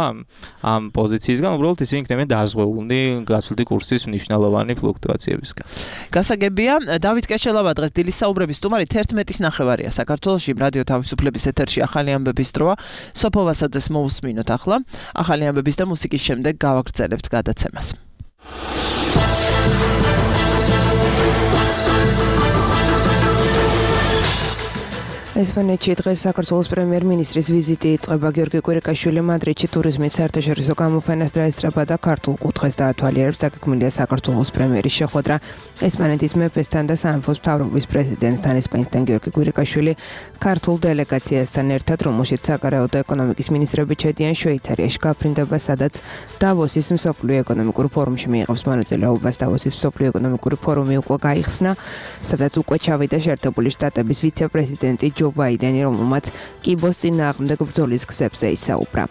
S4: ამ პოზიციისგან, უბრალოდ ისინი იქნებიან დაზღვეულნი გასვლითი კურსის მნიშვნელოვანი ფლუქტუაციებისგან.
S3: გასაგებია, დავით კაშელავა დღეს დილის საუბრების სტუმარი თერთმეტის ნახევარია საქართველოში რადიო თავისუფლების ეთერში ახალი ამბების დროა. სოფო ვასაძეს მოусმინოთ ახლა. ახალი ამბების და მუსიკის შემდეგ გავაგრძელებთ გადაცემას.
S2: ესპანეთში დღეს საქართველოს პრემიერ-მინისტრის ვიზიტი იწყება. გიორგი კვირიკაშვილი მადრიდში ტურიზმის საერთაშორისო გამოფენას დაესწრება და ქართულ კუთხეს დაათვალიერებს. დაგეგმილია საქართველოს პრემიერის შეხვედრა ესპანეთის მეფესთან და სამეფოს მთავრობის პრეზიდენტთან. ესპანეთიდან გიორგი კვირიკაშვილი ქართულ დელეგაციასთან ერთად, რომელშიც საგარეო და ეკონომიკის მინისტრები ჩედიან, შვეიცარიაში გაფრინდება, სადაც დავოსის მსოფლიო ეკონომიკური ფორუმში მიიღებს მონაწილეობას. დავოსის მსოფლიო ეკონომიკური ფორუმი უკვე გაიხსნა, სადაც უკვე ჩავიდა შეერთებული შტატების ვიცე-პრეზიდენტი ჯო ბაიდენი, რომელმაც კიბოს წინააღმდეგ ბრძოლის გზებზე ისაუბრა.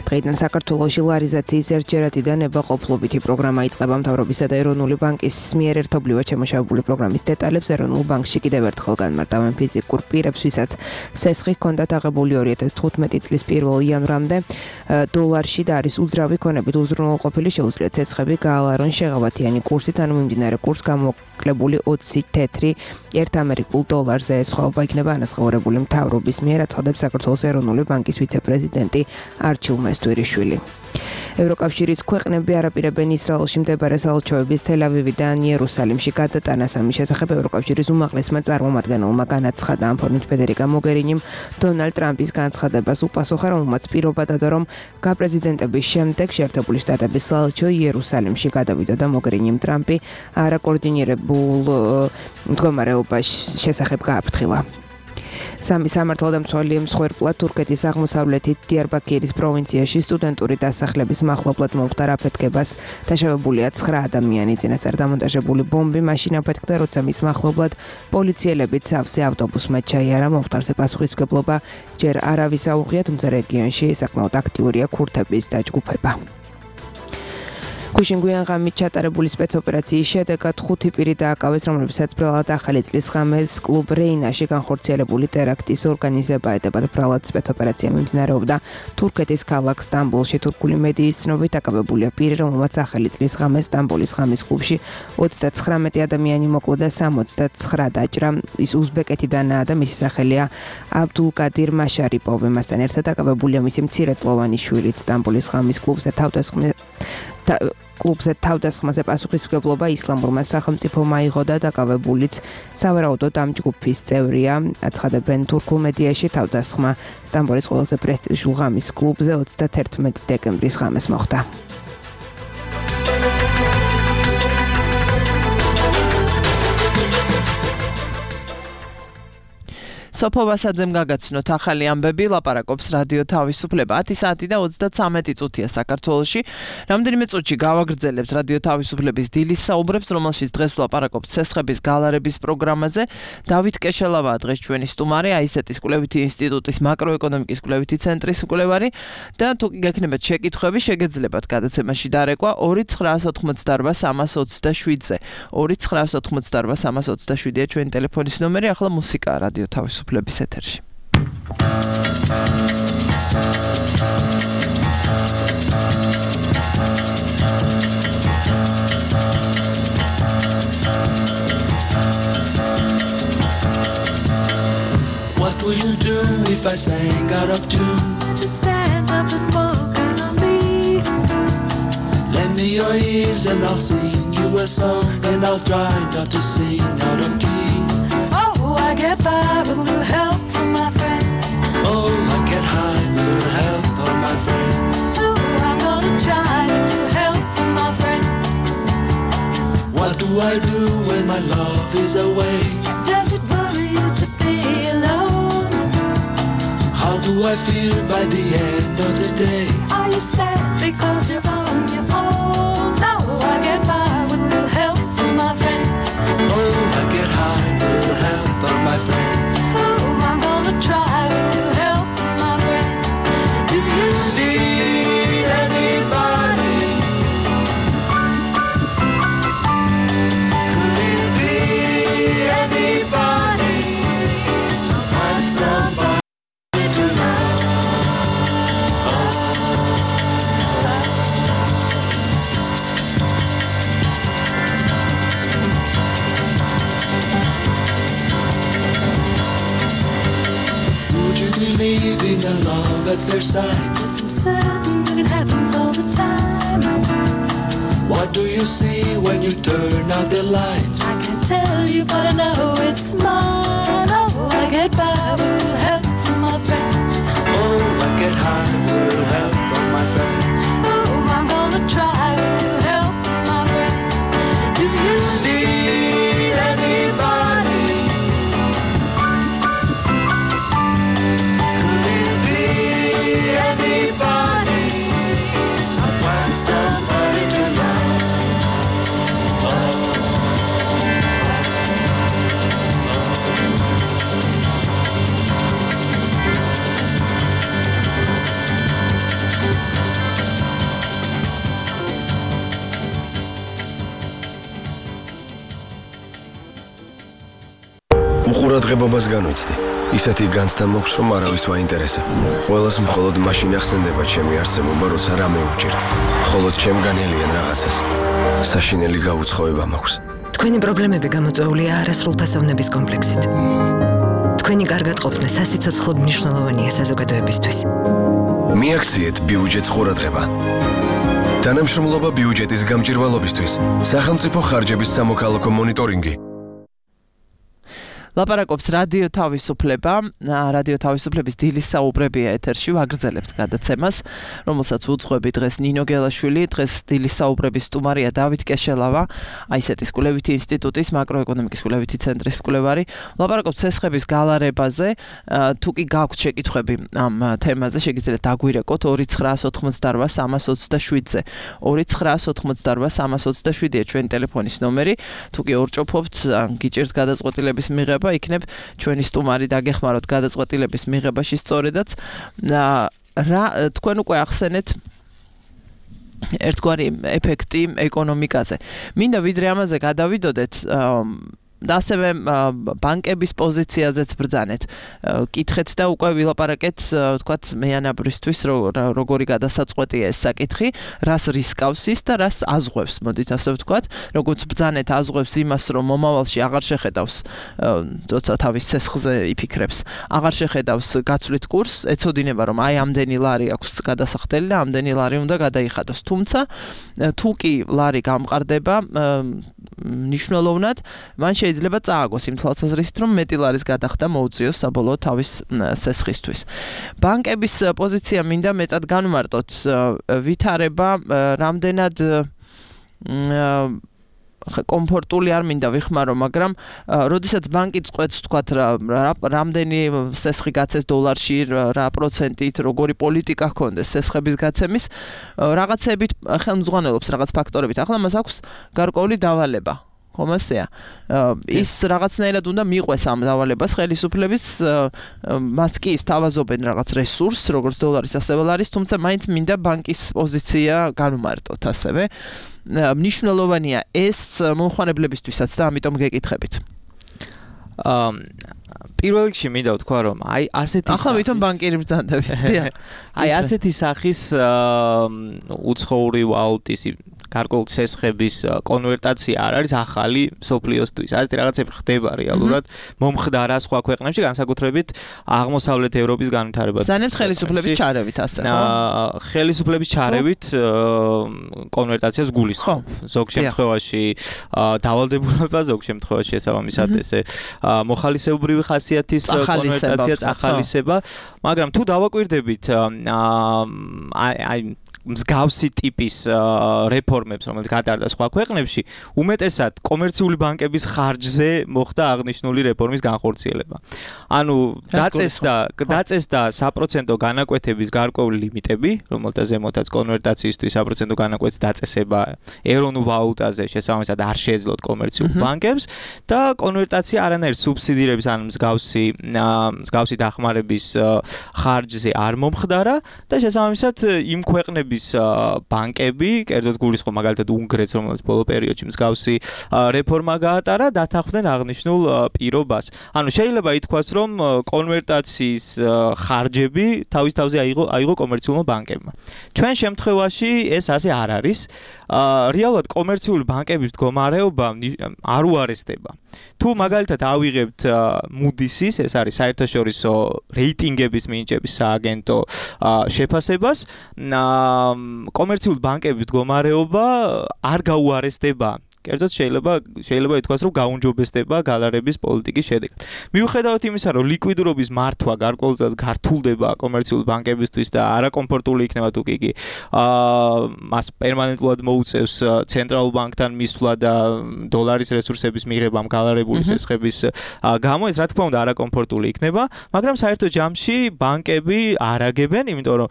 S2: დღეიდან საქართველოში ლარიზაციის ერთჯერადი და ნებაყოფლობითი პროგრამა იწყება. მთავრობისა და ეროვნული ბანკის მიერ ერთობლივად შემოშალებული პროგრამის დეტალებს ეროვნულ ბანკში კიდევ ერთხელ განმარტავენ ფიზიკურ პირებს, ვისაც სესხი ჰქონდათ აღებული ორი ათას თხუთმეტი წლის პირველ იანვრამდე დოლარში და არის უძრავი ქონებით უზრუნველყოფილი, შეუძლიათ სესხები გაალარონ შეღავათიანი კურსით, ანუ მიმდინარე კურს გამოკლებული ოცი თეთრი ერთ ამერიკულ დოლარზე. სხვაობა იქნება ანაზღაურებული მთავრობის მიერ, აცხადებს საქართველოს ეროვნული ბანკის ვიცე-პრეზიდენტი არჩილ მესტვირიშვილი. ევროკავშირის ქვეყნები არაპირებენ ისრაელში მდებარე საელჩოების თელ-ავივიდან იერუსალიმში გადატანას. ამის შესახებ ევროკავშირის უმაღლესმა წარმომადგენელმა განაცხადა. ამ ფორმით ფედერიკა მოგერინიმ დონალდ ტრამპის განცხადებას უპასუხა, რომელმაც პირობა დადო, რომ გაპრეზიდენტების შემდეგ შეერთებული შტატების საელჩო იერუსალიმში გადავიდა და მოგერინიმ ტრამპი არაკოორდინირებულ მდგომარეობის შესახებ გააფრთხილა. სამი სამართალდამცველი მსხვერპლად თურქეთის აღმოსავლეთით დიარბაქირის პროვინციაში სტუდენტური დასახლების მახლობლად მომხდარ აფეთქებას დაშავებულია ცხრა ადამიანი. წინასწარ დამონტაჟებული ბომბი მაშინ აფეთქდა, როცა მის მახლობლად პოლიციელებით სავსე ავტობუსმა ჩაიარა. მომხდარზე პასუხისმგებლობა ჯერ არავის აუღია, თუმცა რეგიონში საკმაოდ აქტიურია ქურთების დაჯგუფება. გუშინ გვიან-ღამით ჩატარებული სპეცოპერაციის შედეგად ხუთი პირი დააკავეს, რომლებსაც ბრალად ახალი წლის ღამეს კლუბ რეინაში განხორციელებული ტერაქტის ორგანიზება ედებათ. ბრალად სპეცოპერაცია მიმდინარეობდა თურქეთის ქალაქ სტამბოლში. თურქული მედიის ცნობით აკავებულია პირი, რომელმაც ახალი წლის ღამეს სტამბოლის ღამის კლუბში ოცდაცხრამეტი ადამიანი მოკლო და სამოცდაცხრა დაჭრა. ის უზბეკეთიდანაა და მისი სახელია აბდულკადირ მაშარიპოვი. მასთან ერთად აკავებულია მისი მცირეწლოვანი შვილიც. სტამბოლის ღამის კლუბზე თავდასხმის კლუბზე თავდასხმაზე პასუხისმგებლობა ისლამურმა სახელმწიფომ აიღო და დაკავებულიც სავარაუდოდ ამ ჯგუფის წევრია. აცხადებენ თურქულ მედიაში, თავდასხმა სტამბოლის ყველაზე პრესტიჟულ ღამის კლუბზე ოცდაათერთმეტი დეკემბრის ღამეს მოხდა.
S3: სოფო ვასაძემ გაგაცნოთ ახალი ამბები, ლაპარაკობს რადიო თავისუფლება. ათი საათი და ოცდათსამეტი წუთია საქართველოში. რამდენიმე წუთში გავაგრძელებთ რადიო თავისუფლების დილის საუბრებს, რომელშიც დღეს ვლაპარაკობთ ცესხების გალარების პროგრამაზე. დავით კეშელავაა დღეს ჩვენი სტუმარი, აისეტის კვლევითი ინსტიტუტის მაკროეკონომიკის კვლევითი ცენტრის მკვლევარი და თუ გექნებათ შეკითხვები, შეგეძლებათ გადაცემაში დარეკვა ორი ცხრაას ოცდაოთხმოცდაარბა სამას ოცდაშვიდზე. ორი ცხრაას ოცდაოთხმოცდაარბა სამას ოცდაშვიდია ჩვენი ტელეფონის ნომერი. ახლა მუსიკა რადიო თავისუფლების ეთერში.
S10: What would you do if I sang out of tune?
S11: Just stand up and walk out on me.
S10: Lend me your ears and I'll sing you a song, and I'll try not to sing out of key.
S11: Oh, I get by with a little help from my friends.
S10: Oh, I get high with a little help from my friends.
S11: Oh, I'm gonna try a little help from my friends.
S10: What do I do when my love is away?
S11: Does it worry you to be alone?
S10: How do I feel by the end of the day?
S11: Are you sad because you're on your own? No, I get by with a little help from my friends.
S10: Oh, I get high with a little help from my friends.
S11: Oh, I'm gonna try with a little help from my friends.
S10: Do you need anybody? Could it be anybody? Find somebody to love. Would you believe in a love at first sight?
S11: Yes, I'm certain that it happens all the time.
S10: What do you see when you turn out the light?
S11: I can't tell you, but I know it's mine. Oh, I get by with a little help from my friends.
S10: Oh, I get high with a little help from my friends.
S11: Oh, I'm gonna try with a little help from my friends.
S10: Do you need anybody? Could it be anybody? I want somebody to love.
S12: უყურადღებობას განვიცდი. ისეთი განცდა მოქვს, რომ არავის ვაინტერესებ. ყველას მხოლოდ მაშინ ახსენდება ჩემი არსებობა, როცა რამე უჭირთ. მხოლოდ ჩემგანელიან რაღაცას. საშინელი გაუცხოება მაქვს.
S13: თქვენი პრობლემები გამოწვეულია არასრულფასოვნების კომპლექსით. თქვენი კარგად ყოფნა სასიცოცხლოდ მნიშვნელოვანია საზოგადოებისთვის.
S12: მიაქციეთ ბიუჯეტს ყურადღება. თანამშრომლობა ბიუჯეტის გამჭირვალობისთვის. სახელმწიფო ხარჯების სამოქალაქო მონიტორინგი.
S3: ლაპარაკობს რადიო თავისუფლება, რადიო თავისუფლების დილის საუბრებია ეთერში, ვაგრძელებთ გადაცემას, რომელსაც უძღვები დღეს ნინო გელაშვილი, დღეს დილის საუბრების სტუმარია დავით კეშელავა, აისეტის კვლევითი ინსტიტუტის მაკროეკონომიკის კვლევითი ცენტრის მკვლევარი. ლაპარაკობთ ცესხების გალარებაზე, თუ კი გაქვთ შეკითხვები ამ თემაზე, შეგიძლიათ დაგვირეკოთ ორი ცხრაას ოცდაოთხმოცდაარბა სამას ოცდაშვიდზე. ორი ცხრაას ოცდაოთხმოცდაარბა სამას ოცდაშვიდია ჩვენი ტელეფონის ნომერი. თუ კი ორჭოფობთ, გიჭირთ გადაწყვეტილების მიღება, იქნებ ჩვენი სტუმარი დაგეხმაროთ გადაწყვეტილების მიღებაში სწორედაც. რა თქვენ უკვე ახსენეთ ერთგვარი ეფექტი ეკონომიკაზე. მინდა ვიდრე ამაზე გადავიდოდეთ, და ასევე ბანკების პოზიციაზეც ბრძანეთ. კითხეთ და უკვე ვილაპარაკეთ, ვთქვათ, მეანაბრისთვის როგორი გადასაწყვეტია ეს საკითხი, რას რისკავს ის და რას აზღვევს, მოდით ასე ვთქვათ, როგორც ბრძანეთ აზღვევს იმას, რომ მომავალში აღარ შეხედავს, როცა თავის ცესხლზე იფიქრებს, აღარ შეხედავს გაცვლით კურსს, ეცოდინება, რომ აი ამდენი ლარი აქვს გადასახდელი და ამდენი ლარი უნდა გადაიხადოს. თუმცა თუ კი ლარი გამყარდება მნიშვნელოვნად, მან შეიძლება წააგოს იმ თვალსაზრისით, რომ მეტი ლარის გადახდა მოუწიოს საბოლოო თავის სესხისთვის. ბანკების პოზიცია მინდა მეტად განვარტოთ, ვითარება რამდენად კომფორტული არ მინდა ვიხმარო, მაგრამ როდესაც ბანკი წყვეტს თქვათ რამდენი სესხი გაცეს დოლარში, რა პროცენტით, როგორი პოლიტიკა ჰქონდეს სესხების გაცემის, რაღაცებით ხელმძღვანელობს რაღაც ფაქტორებით. ახლა მას აქვს გარკვეული დავალება. ხომასეა. ის რაღაცნაირად უნდა მიყვეს ამ დავალებას ხელისუფლების, მას კი ისთავაზობენ რაღაც რესურსს, როგორც დოლარის ასევე ლარის, თუმცა მაინც მინდა ბანკის პოზიცია განვმარტოთ ასევე. მნიშვნელოვანია ეს მომხმარებლებისთვისაც და ამიტომ გეკითხებით.
S4: აა პირველ რიგში მინდა ვთქვა, რომ აი ასეთი
S3: ახლა ვითომ ბანკირი ბრძანდებით.
S4: აი ასეთი სახის უცხოური ვალუტის გარკვეული სესხების კონვერტაცია არ არის ახალი სოფლიოსთვის. ასეთი რაღაცები ხდება რეალურად მომხდარა სხვა ქვეყნებში, განსაკუთრებით აღმოსავლეთ ევროპის განვითარებაში.
S3: ბრძანებთ ხელისუფლების ჩარევით ასე, ხო?
S4: ხელისუფლების ჩარევით კონვერტაციას გულისხმობ. ზოგ შემთხვევაში დავალდებულება, ზოგ შემთხვევაში შესაბამისად ესე მოხალისეობრივი ხასიათის კონვერტაციაც ახალისება, მაგრამ თუ დავაკვირდებით აი მსგავსი ტიპის რეფორმებს, რომელიც გატარდა სხვა ქვეყნებში, უმეტესად კომერციული ბანკების ხარჯზე მოხდა აღნიშნული რეფორმის განხორციელება. ანუ დაწესდა დაწესდა საპროცენტო განაკვეთების გარკვეული ლიმიტები, რომელთა ზემოთაც კონვერტაციისთვის საპროცენტო განაკვეთის დაწესება ეროვნულ ვალუტაზე შესაბამისად არ შეეძლოთ კომერციულ ბანკებს და კონვერტაცია არანაირ სუბსიდირების ან მსგავსი მსგავსი დახმარების ხარჯზე არ მომხდარა და შესაბამისად იმ ქვეყნების ბანკები, კერძოდ გულისხმობ მაგალითად უნგრეთს, რომელიც ბოლო პერიოდში მსგავსი რეფორმა გაატარა, დათანხმდნენ აღნიშნულ პირობას. ანუ შეიძლება ითქვას, რომ კონვერტაციის ხარჯები თავის თავზე აიღო აიღო კომერციულმა ბანკებმა. ჩვენ შემთხვევაში ეს ასე არ არის. რეალურად კომერციული ბანკების მდგომარეობა არ უარესდება. თუ მაგალითად ავიღებთ Moody's-ის, ეს არის საერთაშორისო რეიტინგების მინიჭების სააგენტო შეფასებას, კომერციული ბანკების მდგომარეობა არ გაუარესდება. კერძოდ შეიძლება შეიძლება ითქვას, რომ გაუნჯობესდება გალარების პოლიტიკის შედეგად. მიუხედავად იმისა, რომ ლიკვიდურობის მართვა გარკვეულწილად გართულდება კომერციული ბანკებისთვის და არაკომფორტული იქნება თუ კი იგი მას პერმანენტულად მოუწევს ცენტრალურ ბანკთან მისვლა და დოლარის რესურსების მიღებამ გალარებული სესხების გამო, ეს რა თქმა უნდა არაკომფორტული იქნება, მაგრამ საერთო ჯამში ბანკები არ აგებენ, იმიტომ რომ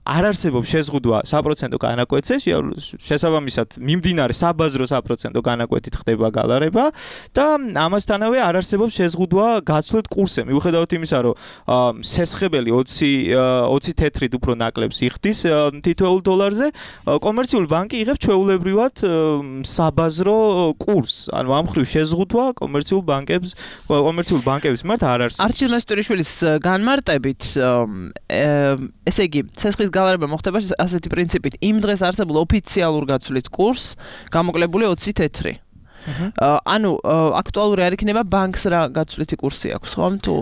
S4: არ არსებობს შეზღუდვა საპროცენტო განაკვეთზე, შესაბამისად მიმდინარე საბაზრო პროცენტო განაკვეთით ხდება გალარება და ამასთანავე არ არსებობს შეზღუდვა გაცვლით კურსზე. მიუხედავად იმისა, რომ სესხებელი ოცი თეთრით უფრო ნაკლებს იხდის თითოეულ დოლარზე, კომერციული ბანკი იღებს ჩვეულებრივად საბაზრო კურსს. ანუ ამ ხრივ შეზღუდვა კომერციულ ბანკებს კომერციულ ბანკების მიმართ არ არსებობს.
S3: არჩილ მასტურიშვილის განმარტებით, ესე იგი, სესხის გალარება მოხდება ასეთი პრინციპით. იმ დღეს არსებულ ოფიციალურ გაცვლით კურსს გამოკლებული ოცი თეთრი. ანუ აქტუალური არ იქნება ბანკს რა გაცვლითი კურსი აქვს, ხომ თუ?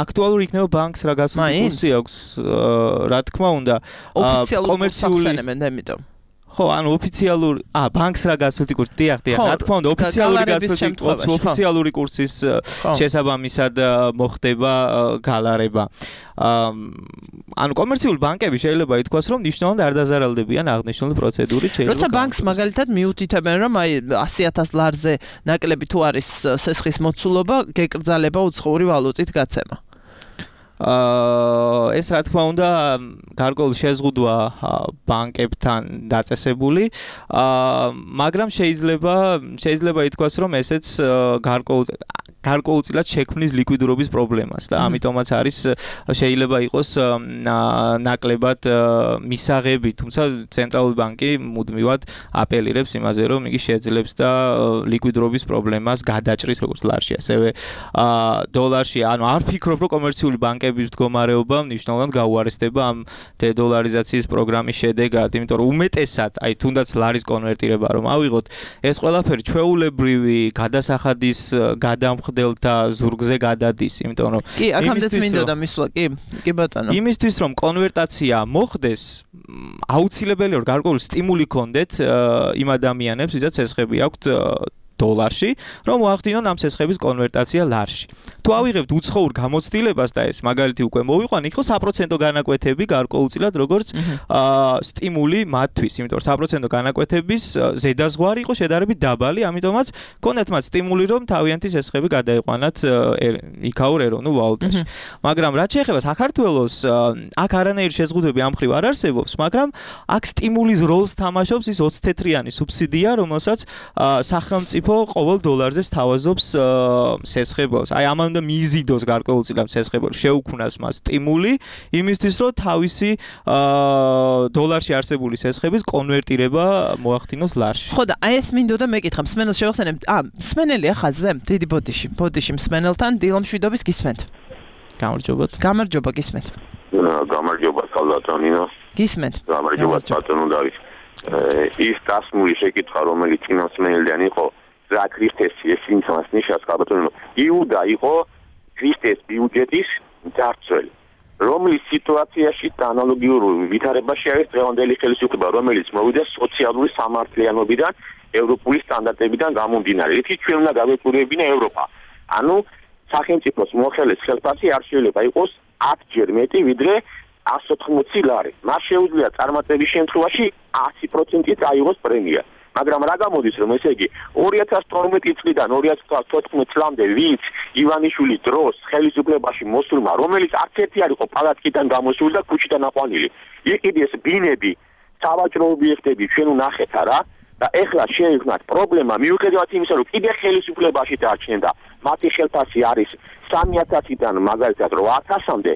S4: აქტუალური იქნება ბანკს რა გაცვლითი კურსი აქვს, რა თქმა უნდა,
S3: კომერციული ამიტომ.
S4: ხო, ანუ ოფიციალური, ა, ბანკს რა გაცვლითი კურსი, დიახ, დიახ, რა თქმა უნდა, ოფიციალური გაცვლითი ოფიციალური კურსის შესაბამისად მოხდება გალარება. ანუ კომერციული ბანკები შეიძლება ითქვას, რომ მნიშვნელოვნად არ დაზარალდებიან აღნიშნული პროცედურით.
S3: როცა ბანკს მაგალითად მიუთითებენ, რომ აი ასი ათას ლარზე ნაკლები თუ არის სესხის მოცულობა, გეკრძალება უცხოური ვალუტით გაცემა.
S4: აა ეს რა თქმა უნდა გარკვეულ შეზღუდვა ბანკებთან დაწესებული, აა მაგრამ შეიძლება შეიძლება ითქვას, რომ ესეც გარკვეულ გარკვეულწილად შექმნის ლიკვიდურობის პრობლემას და ამიტომაც არის შეიძლება იყოს ნაკლებად მისაღები, თუმცა ცენტრალური ბანკი მუდმივად აპელირებს იმაზე, რომ იგი შეძლებს და ლიკვიდურობის პრობლემას გადაჭრის როგორც ლარში, ასევე დოლარში. ანუ არ ვფიქრობ, რომ კომერციული ბანკების მდგომარეობა მნიშვნელოვნად გაუარესდება ამ დედოლარიზაციის პროგრამის შედეგად, იმიტომ რომ უმეტესად, აი თუნდაც ლარის კონვერტირება რომ ავიღოთ, ეს ყველაფერი ჩვეულებრივი გადასახადის გადამხდელთა ზურგზე გადადის, იმიტომ რომ
S3: კი, აქამდეც მინდოდა მისვლა, კი, კი ბატონო.
S4: იმისთვის რომ კონვერტაცია მოხდეს, აუცილებელია რომ გარკვეული სტიმული ქონდეთ იმ ადამიანებს, ვისაც სესხები აქვთ დოლარში, რომ მოახდინონ ამ სესხების კონვერტაცია ლარში. თუ ავიღებთ უცხოურ გამოცდილებას და ეს მაგალითი უკვე მოვიყვან, იქ ხო საპროცენტო განაკვეთები გარკვეულწილად როგორც სტიმული მათთვის, იმიტომ რომ საპროცენტო განაკვეთების ზედაზღვარი იყო შედარებით დაბალი, ამიტომაც ქონდათ მათ სტიმული რომ თავიანთი სესხები გადაიყვანათ იქაურ ეროვნულ ვალუტაში. მაგრამ რაც შეეხება საქართველოს, აქ არანაირი შეზღუდვები ამ მხრივ არ არსებობს, მაგრამ აქ სტიმულის როლს თამაშობს ის ოცი თეთრიანი სუბსიდია, რომელსაც სახელმწიფო ყოველ დოლარზე სთავაზობს სესხებელს. აი ამან უნდა მიიზიდოს გარკვეულწილად სესხებელს, შეუქმნას მას სტიმული იმისთვის, რომ თავისი დოლარში არსებული სესხების კონვერტირება მოახდინოს ლარში.
S3: ხო და აი ეს მინდოდა მეკითხა, მსმენელს შევახსენებ, ა მსმენელია ხაზზე, დიდი ბოდიში, ბოდიში მსმენელთან დილომშვიდობის გისმენთ.
S4: გამარჯობათ.
S3: გამარჯობა გისმენთ.
S14: გამარჯობა სალათანინო.
S3: გისმენთ.
S14: გამარჯობა ბატონო დავით. ის დასმული შეკითხვა რომელიც წინასწმენელიდან იყო რა ქრისტესი ეს ინცას ნიშნავს ბატონო იუდა იყო ქრისტეს ბიუჯეტის ძარცველი რომლის სიტუაციაში და ანალოგიურ ვითარებაში არის დღევანდელი ხელისუფლება რომელიც მოვიდა სოციალური სამართლიანობიდან ევროპული სტანდარტებიდან გამომდინარე იქით ჩვენ უნდა გავეკვირვებინა ევროპა ანუ სახელმწიფოს მოხელეს ხელფასი არ შეიძლება იყოს ათჯერ მეტი ვიდრე ათს ოთხმოცი ლარი. მას შეუძლია წარმატების შემთხვევაში ათი პროცენტი წაიღოს პრემია. მაგრამ რა გამოდის რომ ესე იგი ორი ათას თორმეტი წლიდან ორი ათას თოთხმეტ წლამდე ვინც ივანიშვილის დროს ხელისუფლებაში მოსულმა, რომელიც არც ერთი არ იყო პალატკიდან გამოსული და ქუჩიდან აყვანილი. იყიდეს ბინები, სავაჭრო ობიექტები ჩვენ ვნახეთ არა და ეხლა შეიქმნათ პრობლემა მიუხედავად იმისა რომ კიდე ხელისუფლებაში დარჩნენ და მათი ხელფასი არის სამი ათასიდან მაგალითად რვა ათასამდე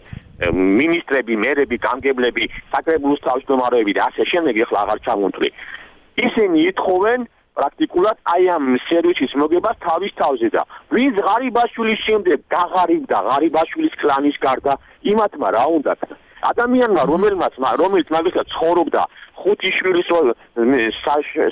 S14: ministrები, მერები, გამგებლები, საკრებულოს თავმჯდომარეები და ასე შემდეგ ეხლა აღარ ჩამონთვლი. ისინი ითხოვენ პრაქტიკულად აი ამ სერვისის მოგებას თავის თავზე და ვინც ღარიბაშვილის შემდეგ გაღარიბდა ღარიბაშვილის კლანის გარდა იმათმა რა უნდათ ადამიანმა რომელმაც რომელიც მაგალითად ცხოვრობდა ხუთი შვილის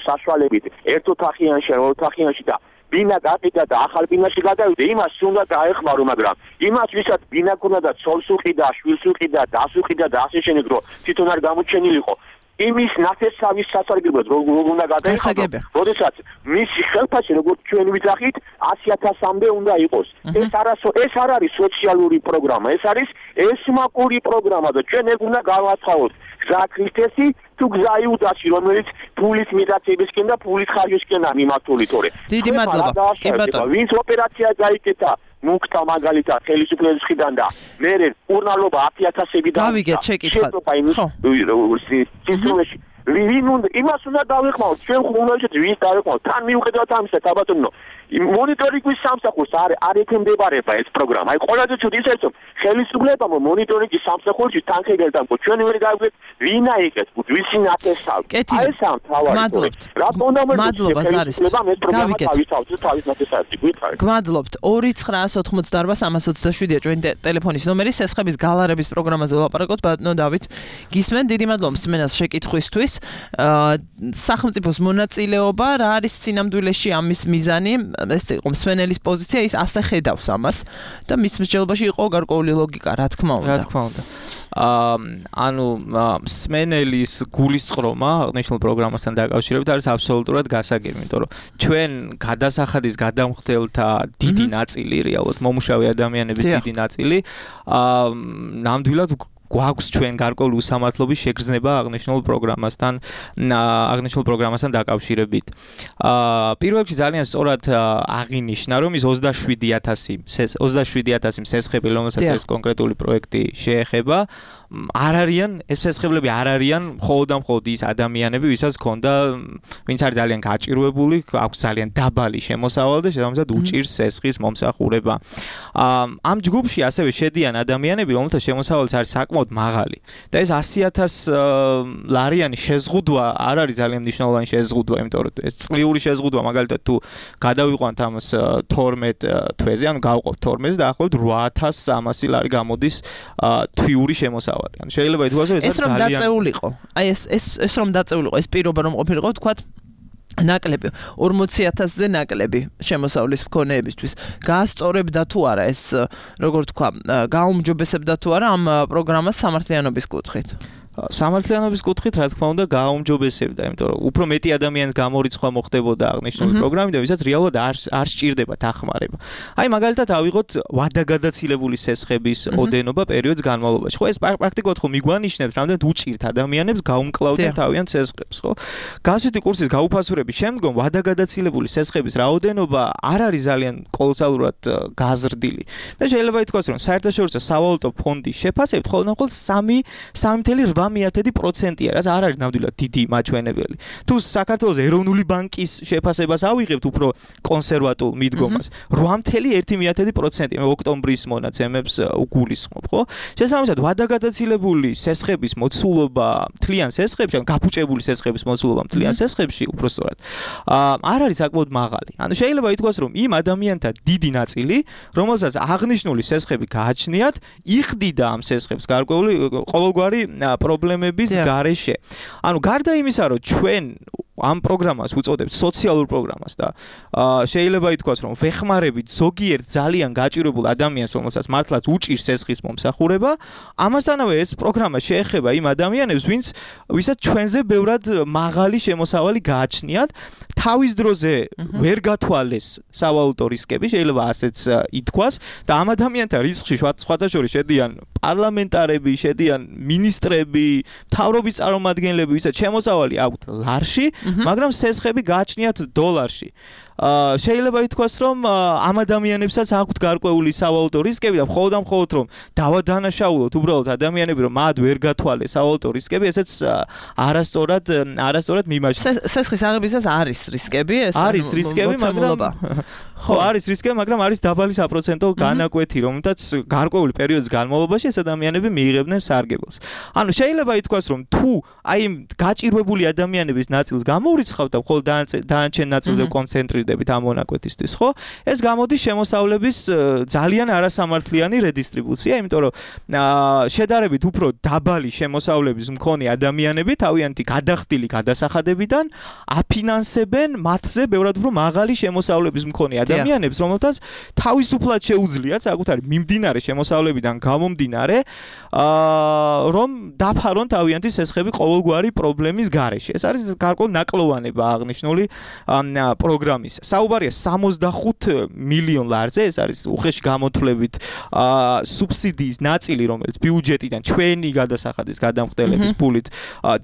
S14: საშუალებით ერთ ოთახიანში, ორ ოთახიანში და ბინა გაკიდა და ახალ ბინაში გადავიდა, იმას უნდა დაეხმარო, მაგრამ იმას ვისაც ბინა ქონდა და ცოლს უყიდა, შვილს უყიდა, დას უყიდა და ასე შემდეგ, რომ თვითონ არ გამოჩენილიყო. იმის ნათესავის სასარგებლოდ როგორ უნდა გადაეხმარო. როდესაც მისი ხელფასი როგორც ჩვენ ვიძახით, ათი ათასამდე უნდა იყოს. ეს არასო ეს არ არის სოციალური პროგრამა, ეს არის ესმაკური პროგრამა და ჩვენ ეგ უნდა გავაცხადოთ. გზა ქრისტესი თუ გზა იუდაში, რომელიც ფულის მიტაცებისკენ და ფულის ხარჯისკენაა მიმართული თორე.
S3: დიდი მადლობა. კი ბატონო.
S14: ვინც ოპერაცია გაიკეთა მუქთა მაგალითად ხელისუფლების მხრიდან და მერე ურნალობა ათი ათასები და
S3: გავიგეთ შეკითხვა. ხო.
S14: სისტემაში ვინ უნდა იმას უნდა დავეხმაროთ ჩვენ უნდა ვინ დავეხმაროთ თან მიუხედავად ამისა ბატონო მონიტორინგის სამსახურს არ არ ეკმდებარება ეს პროგრამა. აი ყველაზე ცუდი ის არის რომ ხელისუფლებამ მონიტორინგის სამსახურში თანხებელთან ყო ჩვენ ვერ გავიგეთ ვინ აიგეთ ვისი ნათესავი. აი ეს ამ თავი.
S3: მადლობთ.
S14: რატომ
S3: მადლობა ზარის. გმადლობთ. ორი ცხრაას ოთხმოცდაარბა სამას ოცდაშვიდია ჩვენ ტელეფონის ნომერი სესხების გალარების პროგრამაზე ვლაპარაკობთ ბატონო დავით. გისმენ დიდი მადლობა მსმენელს შეკითხვისთვის. სახელმწიფოს მონაწილეობა რა არის სინამდვილეში ამის მიზანი? ეს იყო მსმენელის პოზიცია, ის ასე ხედავს ამას და მის მსჯელობაში იყო გარკვეული ლოგიკა, რა თქმა უნდა.
S4: რა თქმა უნდა. აა ანუ მსმენელის გულისწყრომა აღნიშნულ პროგრამასთან დაკავშირებით არის აბსოლუტურად გასაგები, იმიტომ რომ ჩვენ გადასახადის გადამხდელთა დიდი ნაწილი, რეალურად მომუშავე ადამიანების დიდი ნაწილი აა ნამდვილად გვაქვს ჩვენ გარკვეული უსამართლობის შეგრძნება აღნიშნულ პროგრამასთან აღნიშნულ პროგრამასთან დაკავშირებით. აა პირველ რიგში ძალიან სწორად აღინიშნა, რომ ის ოცდაშვიდი ათასი ოცდაშვიდი ათასი მსესხები, რომელსაც ეს კონკრეტული პროექტი შეეხება, არ არიან ეს მსესხებლები არ არიან მხოლოდ და მხოლოდ ის ადამიანები, ვისაც ჰქონდა, ვინც არის ძალიან გაჭირვებული, აქვს ძალიან დაბალი შემოსავალი და შესაბამისად უჭირს სესხის მომსახურება. აა ამ ჯგუფში ასევე შედიან ადამიანები, რომელთა შემოსავალიც არის საკმაოდ მაღალი. და ეს ასი ათას ლარიანი შეზღუდვა არ არის ძალიან მნიშვნელოვანი შეზღუდვა, იმიტომ რომ ეს წლიური შეზღუდვა, მაგალითად თუ გადავიყვანთ ამას თორმეტ თვეზე, ანუ გავყავთ თორმეტს და ახლავთ რვა ათას სამასი ლარი გამოდის თვიური შემოსავალი. ანუ შეიძლება ითქვას, რომ ეს
S3: არის ძალიან დაწეულიყო. აი ეს ეს ეს რომ დაწეულიყო, ეს პირობა რომ ყოფილიყო, თქვათ ნაკლები ორმოცი ათასზე ნაკლები შემოსავლის მქონეებისთვის გაასწორებდა თუ არა ეს როგორ თქვა გაუმჯობესებდა თუ არა ამ პროგრამას სამართლიანობის კუთხით?
S4: სამართლიანობის კუთხით რა თქმა უნდა გააუმჯობესებდა, იმიტომ რომ უფრო მეტი ადამიანის გამორიცხვა მოხდებოდა აღნიშნული პროგრამიდან, ვისაც რეალურად არ არ სჭირდება დახმარება. აი მაგალითად ავიღოთ ვადაგადაცილებული სესხების ოდენობა პერიოდის განმავლობაში. ხო ეს პრაქტიკულად ხო მიგვანიშნებს, რამდენად უჭირთ ადამიანებს გაუმკლავდნენ თავიანთ სესხებს, ხო? გასვეთი კურსის გაუფასურების შემდგომ ვადაგადაცილებული სესხების რაოდენობა არ არის ძალიან კოლოსალურად გაზრდილი. და შეიძლება ითქვას, რომ საერთაშორისო სავალუტო ფონდის შეფასებით ხოლმე მხოლოდ სამი სამი ოცდაოთხ პროცენტია, რაც არ არის ნამდვილად დიდი მაჩვენებელი. თუ საქართველოს ეროვნული ბანკის შეფასებას ავიღებთ უფრო კონსერვატულ მიდგომას, ორი ოცდაერთი პროცენტი მე ოქტომბრის მონაცემებს უგულისხმობ, ხო? შესაბამისად, ვადაგადაცილებული სესხების მოცულობა მთლიან სესხებში, ან გაფუჭებული სესხების მოცულობა მთლიან სესხებში, უბრალოდ არ არის საკმაოდ მაღალი. ანუ შეიძლება ითქვას, რომ იმ ადამიანთა დიდი ნაწილი, რომელსაც აღნიშნული სესხები გააჩნიათ, იხდიდა ამ სესხებს გარკვეული ყოველგვარი პრობლემების გარეშე. ანუ გარდა იმისა, რომ ჩვენ ამ პროგრამას უწოდებთ სოციალურ პროგრამას და შეიძლება ითქვას, რომ ვეხმარებით ზოგიერთ ძალიან გაჭირებულ ადამიანს, რომელსაც მართლაც უჭირს სესხის მომსახურება, ამასთანავე ეს პროგრამა შეეხება იმ ადამიანებს, ვინც ვისაც ჩვენზე ბევრად მაღალი შემოსავალი გააჩნიათ, თავის დროზე ვერ გათვალეს სავალუტო რისკები, შეიძლება ასეც ითქვას და ამ ადამიანთა რისკში სხვათა შორის შედიან პარლამენტარები, შედიან მინისტრები, მთავრობის წარმომადგენლები, ვისაც შემოსავალი აქვთ ლარში, მაგრამ სესხები გააჩნიათ დოლარში. შეიძლება ითქვას, რომ ამ ადამიანებსაც აქვთ გარკვეული სავალუტო რისკები და მხოლოდ და მხოლოდ რომ დავადანაშაულოთ უბრალოდ ადამიანები, რომ მათ ვერ გათვალეს სავალუტო რისკები, ესეც არასწორად არასწორად მიმაჩნია.
S3: სესხის აღებისას არის რისკები, ეს
S4: არის რისკები, მაგრამ ხო, არის რისკები, მაგრამ არის დაბალი საპროცენტო განაკვეთი, რომელთაც გარკვეული პერიოდის განმავლობაში ეს ადამიანები მიიღებდნენ სარგებელს. ანუ შეიძლება ითქვას, რომ თუ აი გაჭირვებული ადამიანების ნაწილს გამოურიცხავთ და მხოლოდ დანარჩენ ნაწილზე კონცენტრირდებით ამ მონაკვეთისთვის, ხო? ეს გამოდის შემოსავლების ძალიან არასამართლიანი რედისტრიბუცია, იმიტომ რომ შედარებით უფრო დაბალი შემოსავლების მქონე ადამიანები თავიანთი გადახდილი გადასახადებიდან აფინანსებენ მათზე ბევრად უფრო მაღალი შემოსავლების მქონე ადამიანებს, რომელთაც თავისუფლად შეუძლიათ საკუთარი მიმდინარე შემოსავლებიდან გამომდინარე, რომ დაფარონ თავიანთი სესხები ყოველგვარი პრობლემის გარეშე. ეს არის გარკვეული ნაკლოვანება აღნიშნული პროგრამის. საუბარია სამოცდახუთ მილიონ ლარზე, ეს არის უხეში გამოთვლებით სუბსიდიის ნაწილი, რომელიც ბიუჯეტიდან ჩვენი გადასახადის გადამხდელების ფულით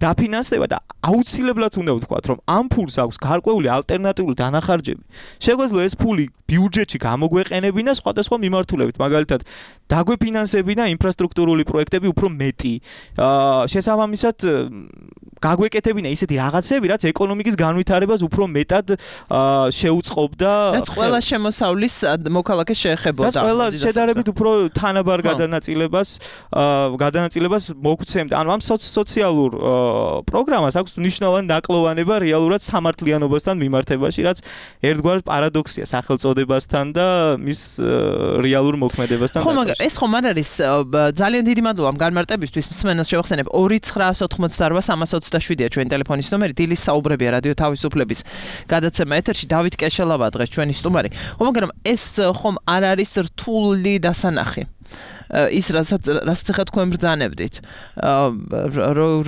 S4: დაფინანსდება და აუცილებლად უნდა ვთქვათ, რომ ამ ფულს აქვს გარკვეული ალტერნატიული დანახარჯები. შეგვეძლო ეს ფული ბიუჯეტში გამოგვეყენებინა სხვადასხვა მიმართულებით, მაგალითად, დაგვეფინანსებინა ინფრასტრუქტურული პროექტები უფრო მეტი. შესაბამისად, გაგვეკეთებინა ისეთი რაღაცები, რაც ეკონომიკის განვითარებას უფრო მეტად შეუწყობდა.
S3: რაც ყველა შემოსავლის მოქალაქეს შეეხებოდა.
S4: რაც ყველა შედარებით უფრო თანაბარ გადანაწილებას გადანაწილებას მოგცემდა. ანუ ამ სოციალურ პროგრამას აქვს მნიშვნელოვანი ნაკლოვანება რეალურად სამართლიანობასთან მიმართებაში, რაც ერთგვარ პარადოქსია სახელწოდებასთან და მის რეალურ მოქმედებასთან.
S3: ხო, მაგრამ ეს ხომ არ არის ძალიან დიდი მადლობა ამ განმარტებისთვის. მსმენელს შევახსენებ ორი ცხრაას ოთხმოცდაარბა სამას ოცდაშვიდია ჩვენი ტელეფონის ნომერი. დილის საუბრებია რადიო თავისუფლების გადაცემა ეთერში. დავით კეშელავა დღეს ჩვენი სტუმარი. ხო, მაგრამ ეს ხომ არ არის რთული დასანახი. ის რასაც რასაც ახლა თქვენ ბრძანებდით.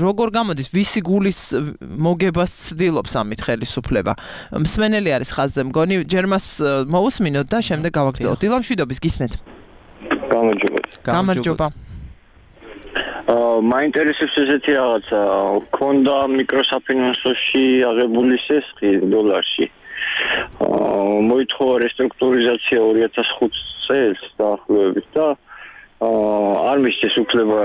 S3: როგორ გამოდის, ვისი გულის მოგებას ცდილობს ამით ხელისუფლება? მსმენელი არის ხაზზე მგონი, ჯერ მას მოусმინოთ და შემდეგ გავაგრძელოთ. დილა მშვიდობის, გისმენთ.
S15: გამარჯობა.
S3: გამარჯობა.
S15: აა მაინტერესებს ესეთი რაღაცა, ქონდა მიკროსაფინანსოში აღებული სესხი დოლარში. აა მოითხოვა რესტრუქტურიზაცია ორი ათას ხუთი წელს დაახლოებით და არ მისცეს უფლება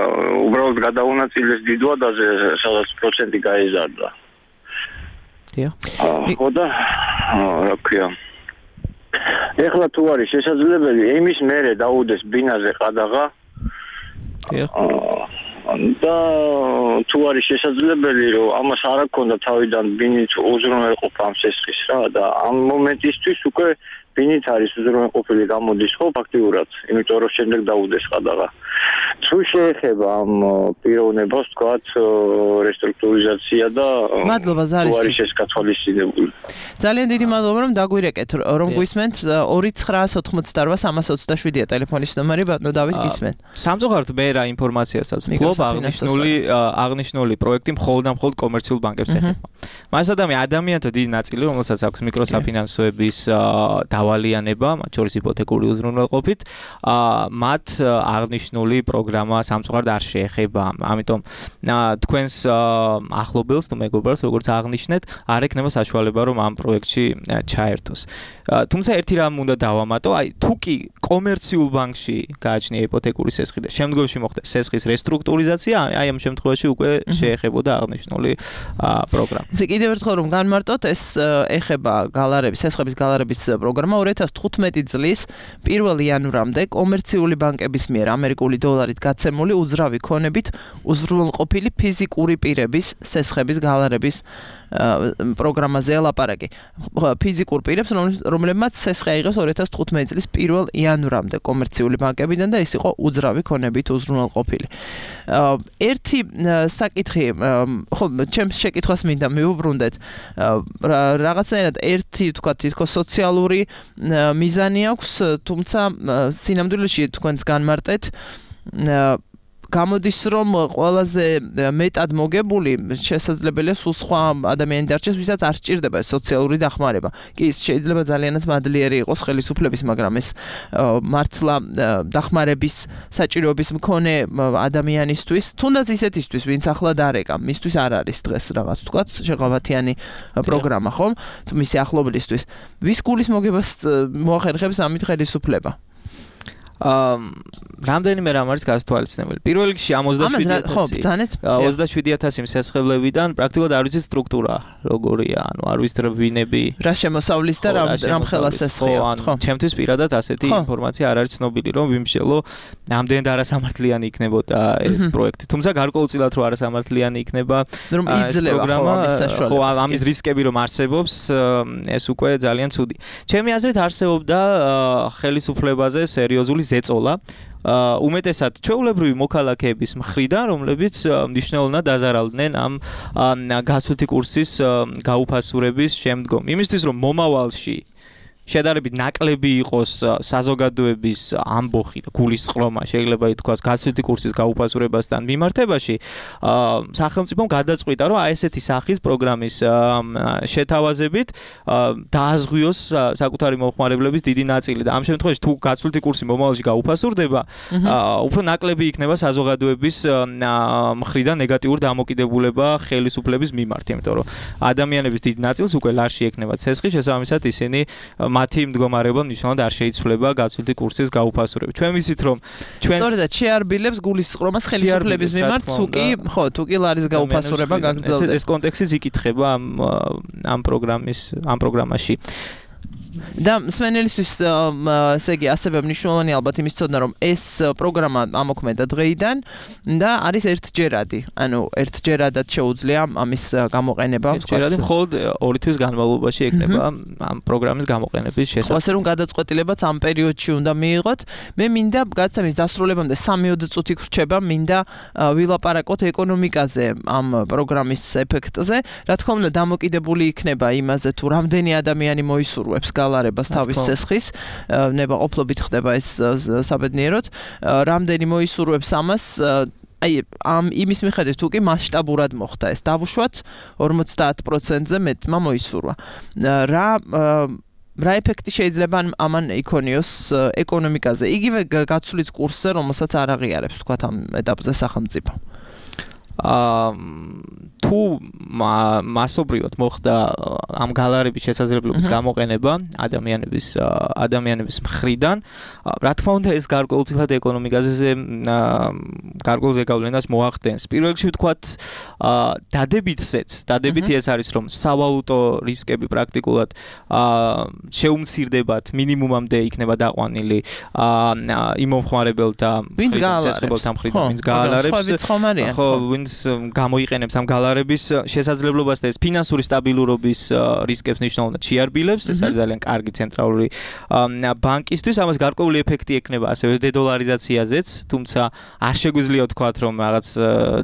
S15: უბრალოდ გადაუნაწილეს დიდვადაზე სადაც პროცენტი გაიზარდა.
S3: დიახ.
S15: ხო და რა ქვია. ეხლა თუ არის შესაძლებელი იმის მერე დაუდეს ბინაზე ყადაღა.
S3: დიახ.
S15: და თუ არის შესაძლებელი რომ ამას არ აქონდა თავიდან ბინით უზრუნველყოფა ამ სესხის რა და ამ მომენტისთვის უკვე ვინც არის უზრუნველყოფილი გამოდის ხო ფაქტიურად, იმიტომ რომ შემდეგ დაუდეს ყადაღა. თუ შეეხება ამ პიროვნებას, თქვათ, რესტრუქტურიზაცია და
S3: მადლობა ზარისთვის.
S15: ეს გათვალისწინებული.
S3: ძალიან დიდი მადლობა რომ დაგვირეკეთ, რომ გვისმენთ ორი ცხრაას ოთხმოცდაოთხ სამას ოცდაშვიდია ტელეფონის ნომერი, ბატონო დავით გისმენთ.
S4: სამწუხაროდ მე რა ინფორმაციასაც ვფლობ, აღნიშნული აღნიშნული პროექტი მხოლოდ და მხოლოდ კომერციულ ბანკებს ეხება. მას ადამიან ადამიანთა დიდი ნაწილი, რომელსაც აქვს მიკროსაფინანსოების დავალიანება, მათ შორის იპოთეკური უზრუნველყოფით, მათ აღნიშნული პროგრამა სამწუხაროდ არ შეეხება. ამიტომ თქვენს ახლობელს თუ მეგობრებს, როგორც აღნიშნეთ, არ ექნება საშუალება რომ ამ პროექტში ჩაერთოს. თუმცა ერთი რამ უნდა დავამატო, აი თუ კი კომერციულ ბანკში გააჩნია იპოთეკური სესხი და შემდგომში მოხდა სესხის რესტრუქტურიზაცია, აი ამ შემთხვევაში უკვე შეეხებოდა აღნიშნული პროგრამა.
S3: ისე კიდევ ერთხელ რომ განმარტოთ, ეს ეხება გალარების, სესხების გალარების პროგრამა ორი ათას თხუთმეტი წლის პირველი იანვრამდე კომერციული ბანკების მიერ ამერიკული დოლარით გაცემული უძრავი ქონებით უზრუნველყოფილი ფიზიკური პირების სესხების გალარების პროგრამაზე ლაპარაკი. ფიზიკურ პირებს, რომლებმაც სესხი აიღეს ორი ათას თხუთმეტი წლის პირველ იანვრამდე კომერციული ბანკებიდან და ეს იყო უძრავი ქონებით უზრუნველყოფილი. ერთი საკითხი, ხო, ჩემს შეკითხვას მინდა მივუბრუნდეთ. რაღაცნაირად ერთი, თქვა, თითქოს სოციალური მიზანი აქვს, თუმცა სინამდვილეში თქვენს განმარტეთ გამოდის რომ ყველაზე მეტად მოგებული შესაძლებელია სულ სხვა ადამიანი დარჩეს, ვისაც არ სჭირდება სოციალური დახმარება. კი, შეიძლება ძალიანაც მადლიერი იყოს ხელისუფლების, მაგრამ ეს მართლა დახმარების საჭიროების მქონე ადამიანისთვის, თუნდაც ისეთისთვის, ვინც ახლა დარეკა, მისთვის არ არის დღეს რაღაც, თქვა, შეღავათიანი პროგრამა, ხომ? მისი ახლობლისთვის. ვის გულის მოგებას მოახერხებს ამით ხელისუფლება?
S4: აა რამდენიმე რამ არის გასათვალისწინებელი. პირველ რიგში ამ ოცდაშვიდი ათასი მსესხებლებიდან პრაქტიკულად არ ვიცი სტრუქტურა როგორია, ანუ არ ვიცი რბინები.
S3: რა შემოსავლის და რამ ხელას ესხია,
S4: ხო? ჩემთვის პირადად ასეთი ინფორმაცია არ არის ცნობილი, რომ ვიმშელო ამდენად არასამართლიანი იქნებოდა ეს პროექტი. თუმცა გარკვეულწილად რომ არასამართლიანი იქნება
S3: რომ იძლევა ამის საშუალება.
S4: ხო, ამის რისკები რომ არსებობს, ეს უკვე ძალიან ცუდი. ჩემი აზრით არსებობდა ხელისუფლებაზე სერიოზული ზეწოლა უმეტესად ჩვეულებრივი მოქალაქეების მხრიდან, რომლებიც მნიშვნელოვნად დაზარალდნენ ამ გასვლითი კურსის გაუფასურების შემდგომ. იმისთვის რომ მომავალში შედარებით ნაკლები იყოს საზოგადოების ამბოხი და გულისწყრომა, შეიძლება ითქვას, გასვლითი კურსის გაუფასურებასთან მიმართებაში, სახელმწიფომ გადაწყვიტა, რომ აი ესეთი სახის პროგრამის შეთავაზებით დააზღვიოს საკუთარი მომხმარებლების დიდი ნაწილი და ამ შემთხვევაში თუ გასვლითი კურსი მომავალში გაუფასურდება, უფრო ნაკლები იქნება საზოგადოების მხრიდან ნეგატიურ დამოკიდებულება ხელისუფლების მიმართ, იმიტომ რომ ადამიანების დიდ ნაწილს უკვე ლარში ექნება ცესხი, შესაბამისად ისინი მათი მდგომარეობა მნიშვნელოვნად არ შეიცვლება გასვლითი კურსის გაუფასურებით. ჩვენ ვიცით რომ ჩვენ
S3: სწორედად შეარბილებს გულისწყრომას ხელისუფლების მიმართ, თუ კი, ხო, თუ კი ლარის გაუფასურება გაგრძელდება.
S4: ეს კონტექსტიც იკითხება ამ ამ პროგრამის ამ პროგრამაში.
S3: და მსმენელისთვის ესე იგი ასევე მნიშვნელოვანი ალბათ იმის ცოდნა რომ ეს პროგრამა ამოქმედა დღეიდან და არის ერთჯერადი, ანუ ერთჯერადად შეუძლია ამის გამოყენება.
S4: ერთჯერადი მხოლოდ ორი თვის განმავლობაში ექნება ამ პროგრამის გამოყენების შესაძლებლობა.
S3: ასე რომ გადაწყვეტილებაც ამ პერიოდში უნდა მიიღოთ. მე მინდა გაცემის დასრულებამდე სამი წუთი გრჩება, მინდა ვილაპარაკოთ ეკონომიკაზე ამ პროგრამის ეფექტზე. რა თქმა უნდა დამოკიდებული იქნება იმაზე თუ რამდენი ადამიანი მოისურვებს გალარებას თავის სესხის, ნებაყოფლობით ხდება ეს საბედნიეროდ, რამდენი მოისურვებს ამას, აი ამ იმის მიხედვით თუ კი მასშტაბურად მოხდა ეს, დავუშვათ ორმოცდაათ პროცენტზე მეტმა მოისურვა. რა რა ეფექტი შეიძლება ამან იქონიოს ეკონომიკაზე, იგივე გაცვლის კურსზე, რომელსაც არ აღიარებს თქვა ამ ეტაპზე სახელმწიფო.
S4: აა თუ მასობრივად მოხდა ამ გალარების შესაძლებლობის გამოყენება ადამიანების ადამიანების მხრიდან, რა თქმა უნდა ეს გარკვეულწილად ეკონომიკაზე გარკვეულ ზეგავლენას მოახდენს. პირველ რიგში ვთქვათ, დადებითზეც, დადებითი ეს არის, რომ სავალუტო რისკები პრაქტიკულად შეუმცირდებათ, მინიმუმამდე იქნება დაყვანილი იმ მომხმარებელთა
S3: მხრიდან,
S4: მხრიდან, ვინც გაალარებს,
S3: ხო,
S4: ვინ ძალიან გამოიყენებს ამ გალარების შესაძლებლობას და ეს ფინანსური სტაბილურობის რისკებს მნიშვნელოვნად შეარბილებს. ეს არის ძალიან კარგი ცენტრალური ბანკისთვის. ამას გარკვეული ეფექტი ექნება ასევე დედოლარიზაციაზეც, თუმცა არ შეგვიძლია ვთქვათ, რომ რაღაც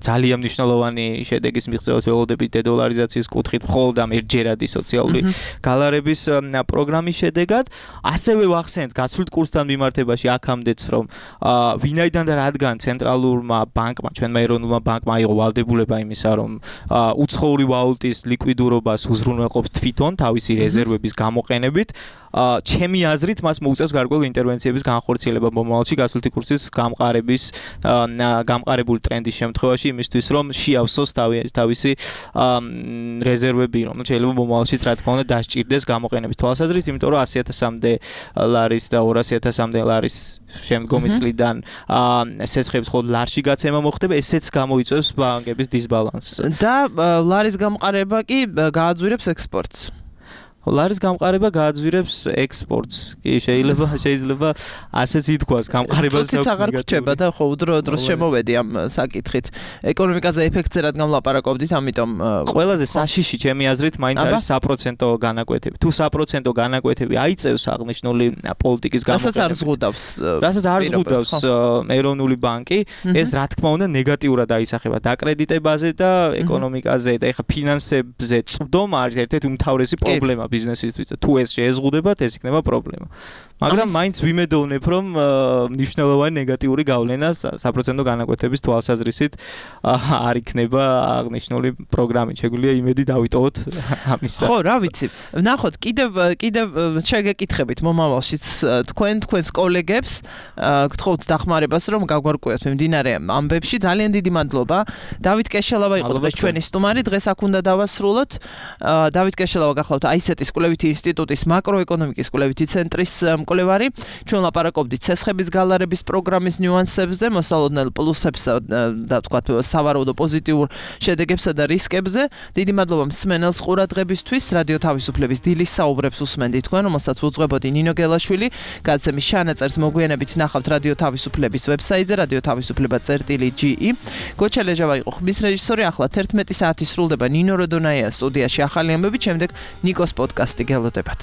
S4: ძალიან მნიშვნელოვანი შედეგის მიღწევას ველოდებით დედოლარიზაციის კუთხით მხოლოდ ამ ერთჯერადი სოციალური გალარების პროგრამის შედეგად. ასევე ვახსენეთ გაცვლით კურსთან მიმართებაში აქამდეც, რომ ვინაიდან და რადგან ცენტრალურმა ბანკმა, ჩვენმა ეროვნულმა ბანკმა აიღო ვალდებულება იმისა, რომ უცხოური ვალუტის ლიკვიდურობას უზრუნველყოფს თვითონ თავისი რეზერვების გამოყენებით, ჩემი აზრით მას მოუწევს გარკვეული ინტერვენციების განხორციელება მომავალში გაცვლითი კურსის გამყარების გამყარებული ტრენდის შემთხვევაში იმისთვის, რომ შეავსოს თავისი რეზერვები, რომ შეიძლება მომავალშიც რა თქმა უნდა დასჭირდეს გამოყენების თვალსაზრისით, იმიტომ რომ ასი ათასამდე ლარის და ორასი ათასამდე ლარის შემდგომი წლიდან სესხების მხოლოდ ლარში გაცემა მოხდება, ესეც გამოიწვევს ბანკების დისბალანსს.
S3: და ლარის გამყარება კი გააძვირებს ექსპორტს.
S4: ლარის გამყარება გააძვირებს ექსპორტს. კი, შეიძლება შეიძლება ასეც ითქვას, გამყარებას აქვს
S3: აღარ გრჩება და ხო უდრო-დრო შემოვედი ამ საკითხით. ეკონომიკაზე ეფექტზე რადგან ვლაპარაკობდით, ამიტომ
S4: ყველაზე საშიში ჩემი აზრით მაინც არის საპროცენტო განაკვეთები. თუ საპროცენტო განაკვეთები აიწევს აღნიშნული პოლიტიკის გამოყენებას.
S3: რასაც არ ზღუდავს.
S4: რასაც არ ზღუდავს ეროვნული ბანკი, ეს რა თქმა უნდა ნეგატიურად აისახება დაკრედიტებაზე და ეკონომიკაზე და ეხა ფინანსებზე წვდომა არის ერთ-ერთი უმთავრესი პრობლემა ბიზნესისთვის. თუ ეს შეეზღუდებათ, ეს იქნება პრობლემა. მაგრამ მაინც ვიმედოვნებ, რომ მნიშვნელოვანი ნეგატიური გავლენა საპროცენტო განაკვეთების თვალსაზრისით არ იქნება აღნიშნული პროგრამით. შეგვიძლია იმედი დავიტოვოთ ამისა.
S3: ხო, რა ვიცი. ნახოთ, კიდევ კიდევ შეგეკითხებით მომავალშიც თქვენ თქვენს კოლეგებს გთხოვთ დახმარებას, რომ გაგვარკვიოთ მიმდინარე ამბებში. ძალიან დიდი მადლობა. დავით კეშელავა იყო დღეს ჩვენი სტუმარი. დღეს აქ უნდა დავასრულოთ. დავით კეშელავა გახლავთ აისეტის კვლევითი ინსტიტუტის მაკროეკონომიკის კვლევითი ცენტრის მკვლევარი. ჩვენ ლაპარაკობდით ცესხების გალარების პროგრამის ნიუანსებზე, მოსალოდნელ პლუსებს და თქვათ სავარაუდო პოზიტიურ შედეგებსა და რისკებზე. დიდი მადლობა მსმენელს ყურადღებისთვის. რადიო თავისუფლების დილის საუბრებს უსმენდით თქვენ, რომელსაც უძღვებოდი ნინო გელაშვილი. გადაცემის ჩანაწერს მოგვიანებით ნახავთ რადიო თავისუფლების ვებსაიტზე რადიო თავისუფლება წერტილი ჯი ი. გოჩა ლეჟავა იყო ხმის რეჟისორი. ახლა თერთმეტი საათი სრულდება ნინო როდონაიას სტუდიაში ახალი ამბები, შემდეგ ნიკოს პოდკასტი გელოდებათ.